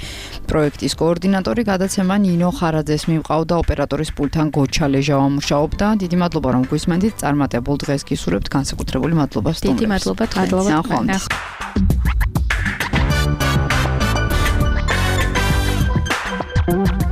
პროექტის კოორდინატორი. გადაცემა ნინო ხარაძეს მივყავდა, ოპერატორის პულტთან გოჩა ლეჟავა მუშაობდა. დიდი მადლობა რომ გვისმენთ. წარმატებულ დღეს გისურვებთ. განსაკუთრებული მადლობა სტუმრებს. დიდი მადლობა თქვენ. ნახოთ.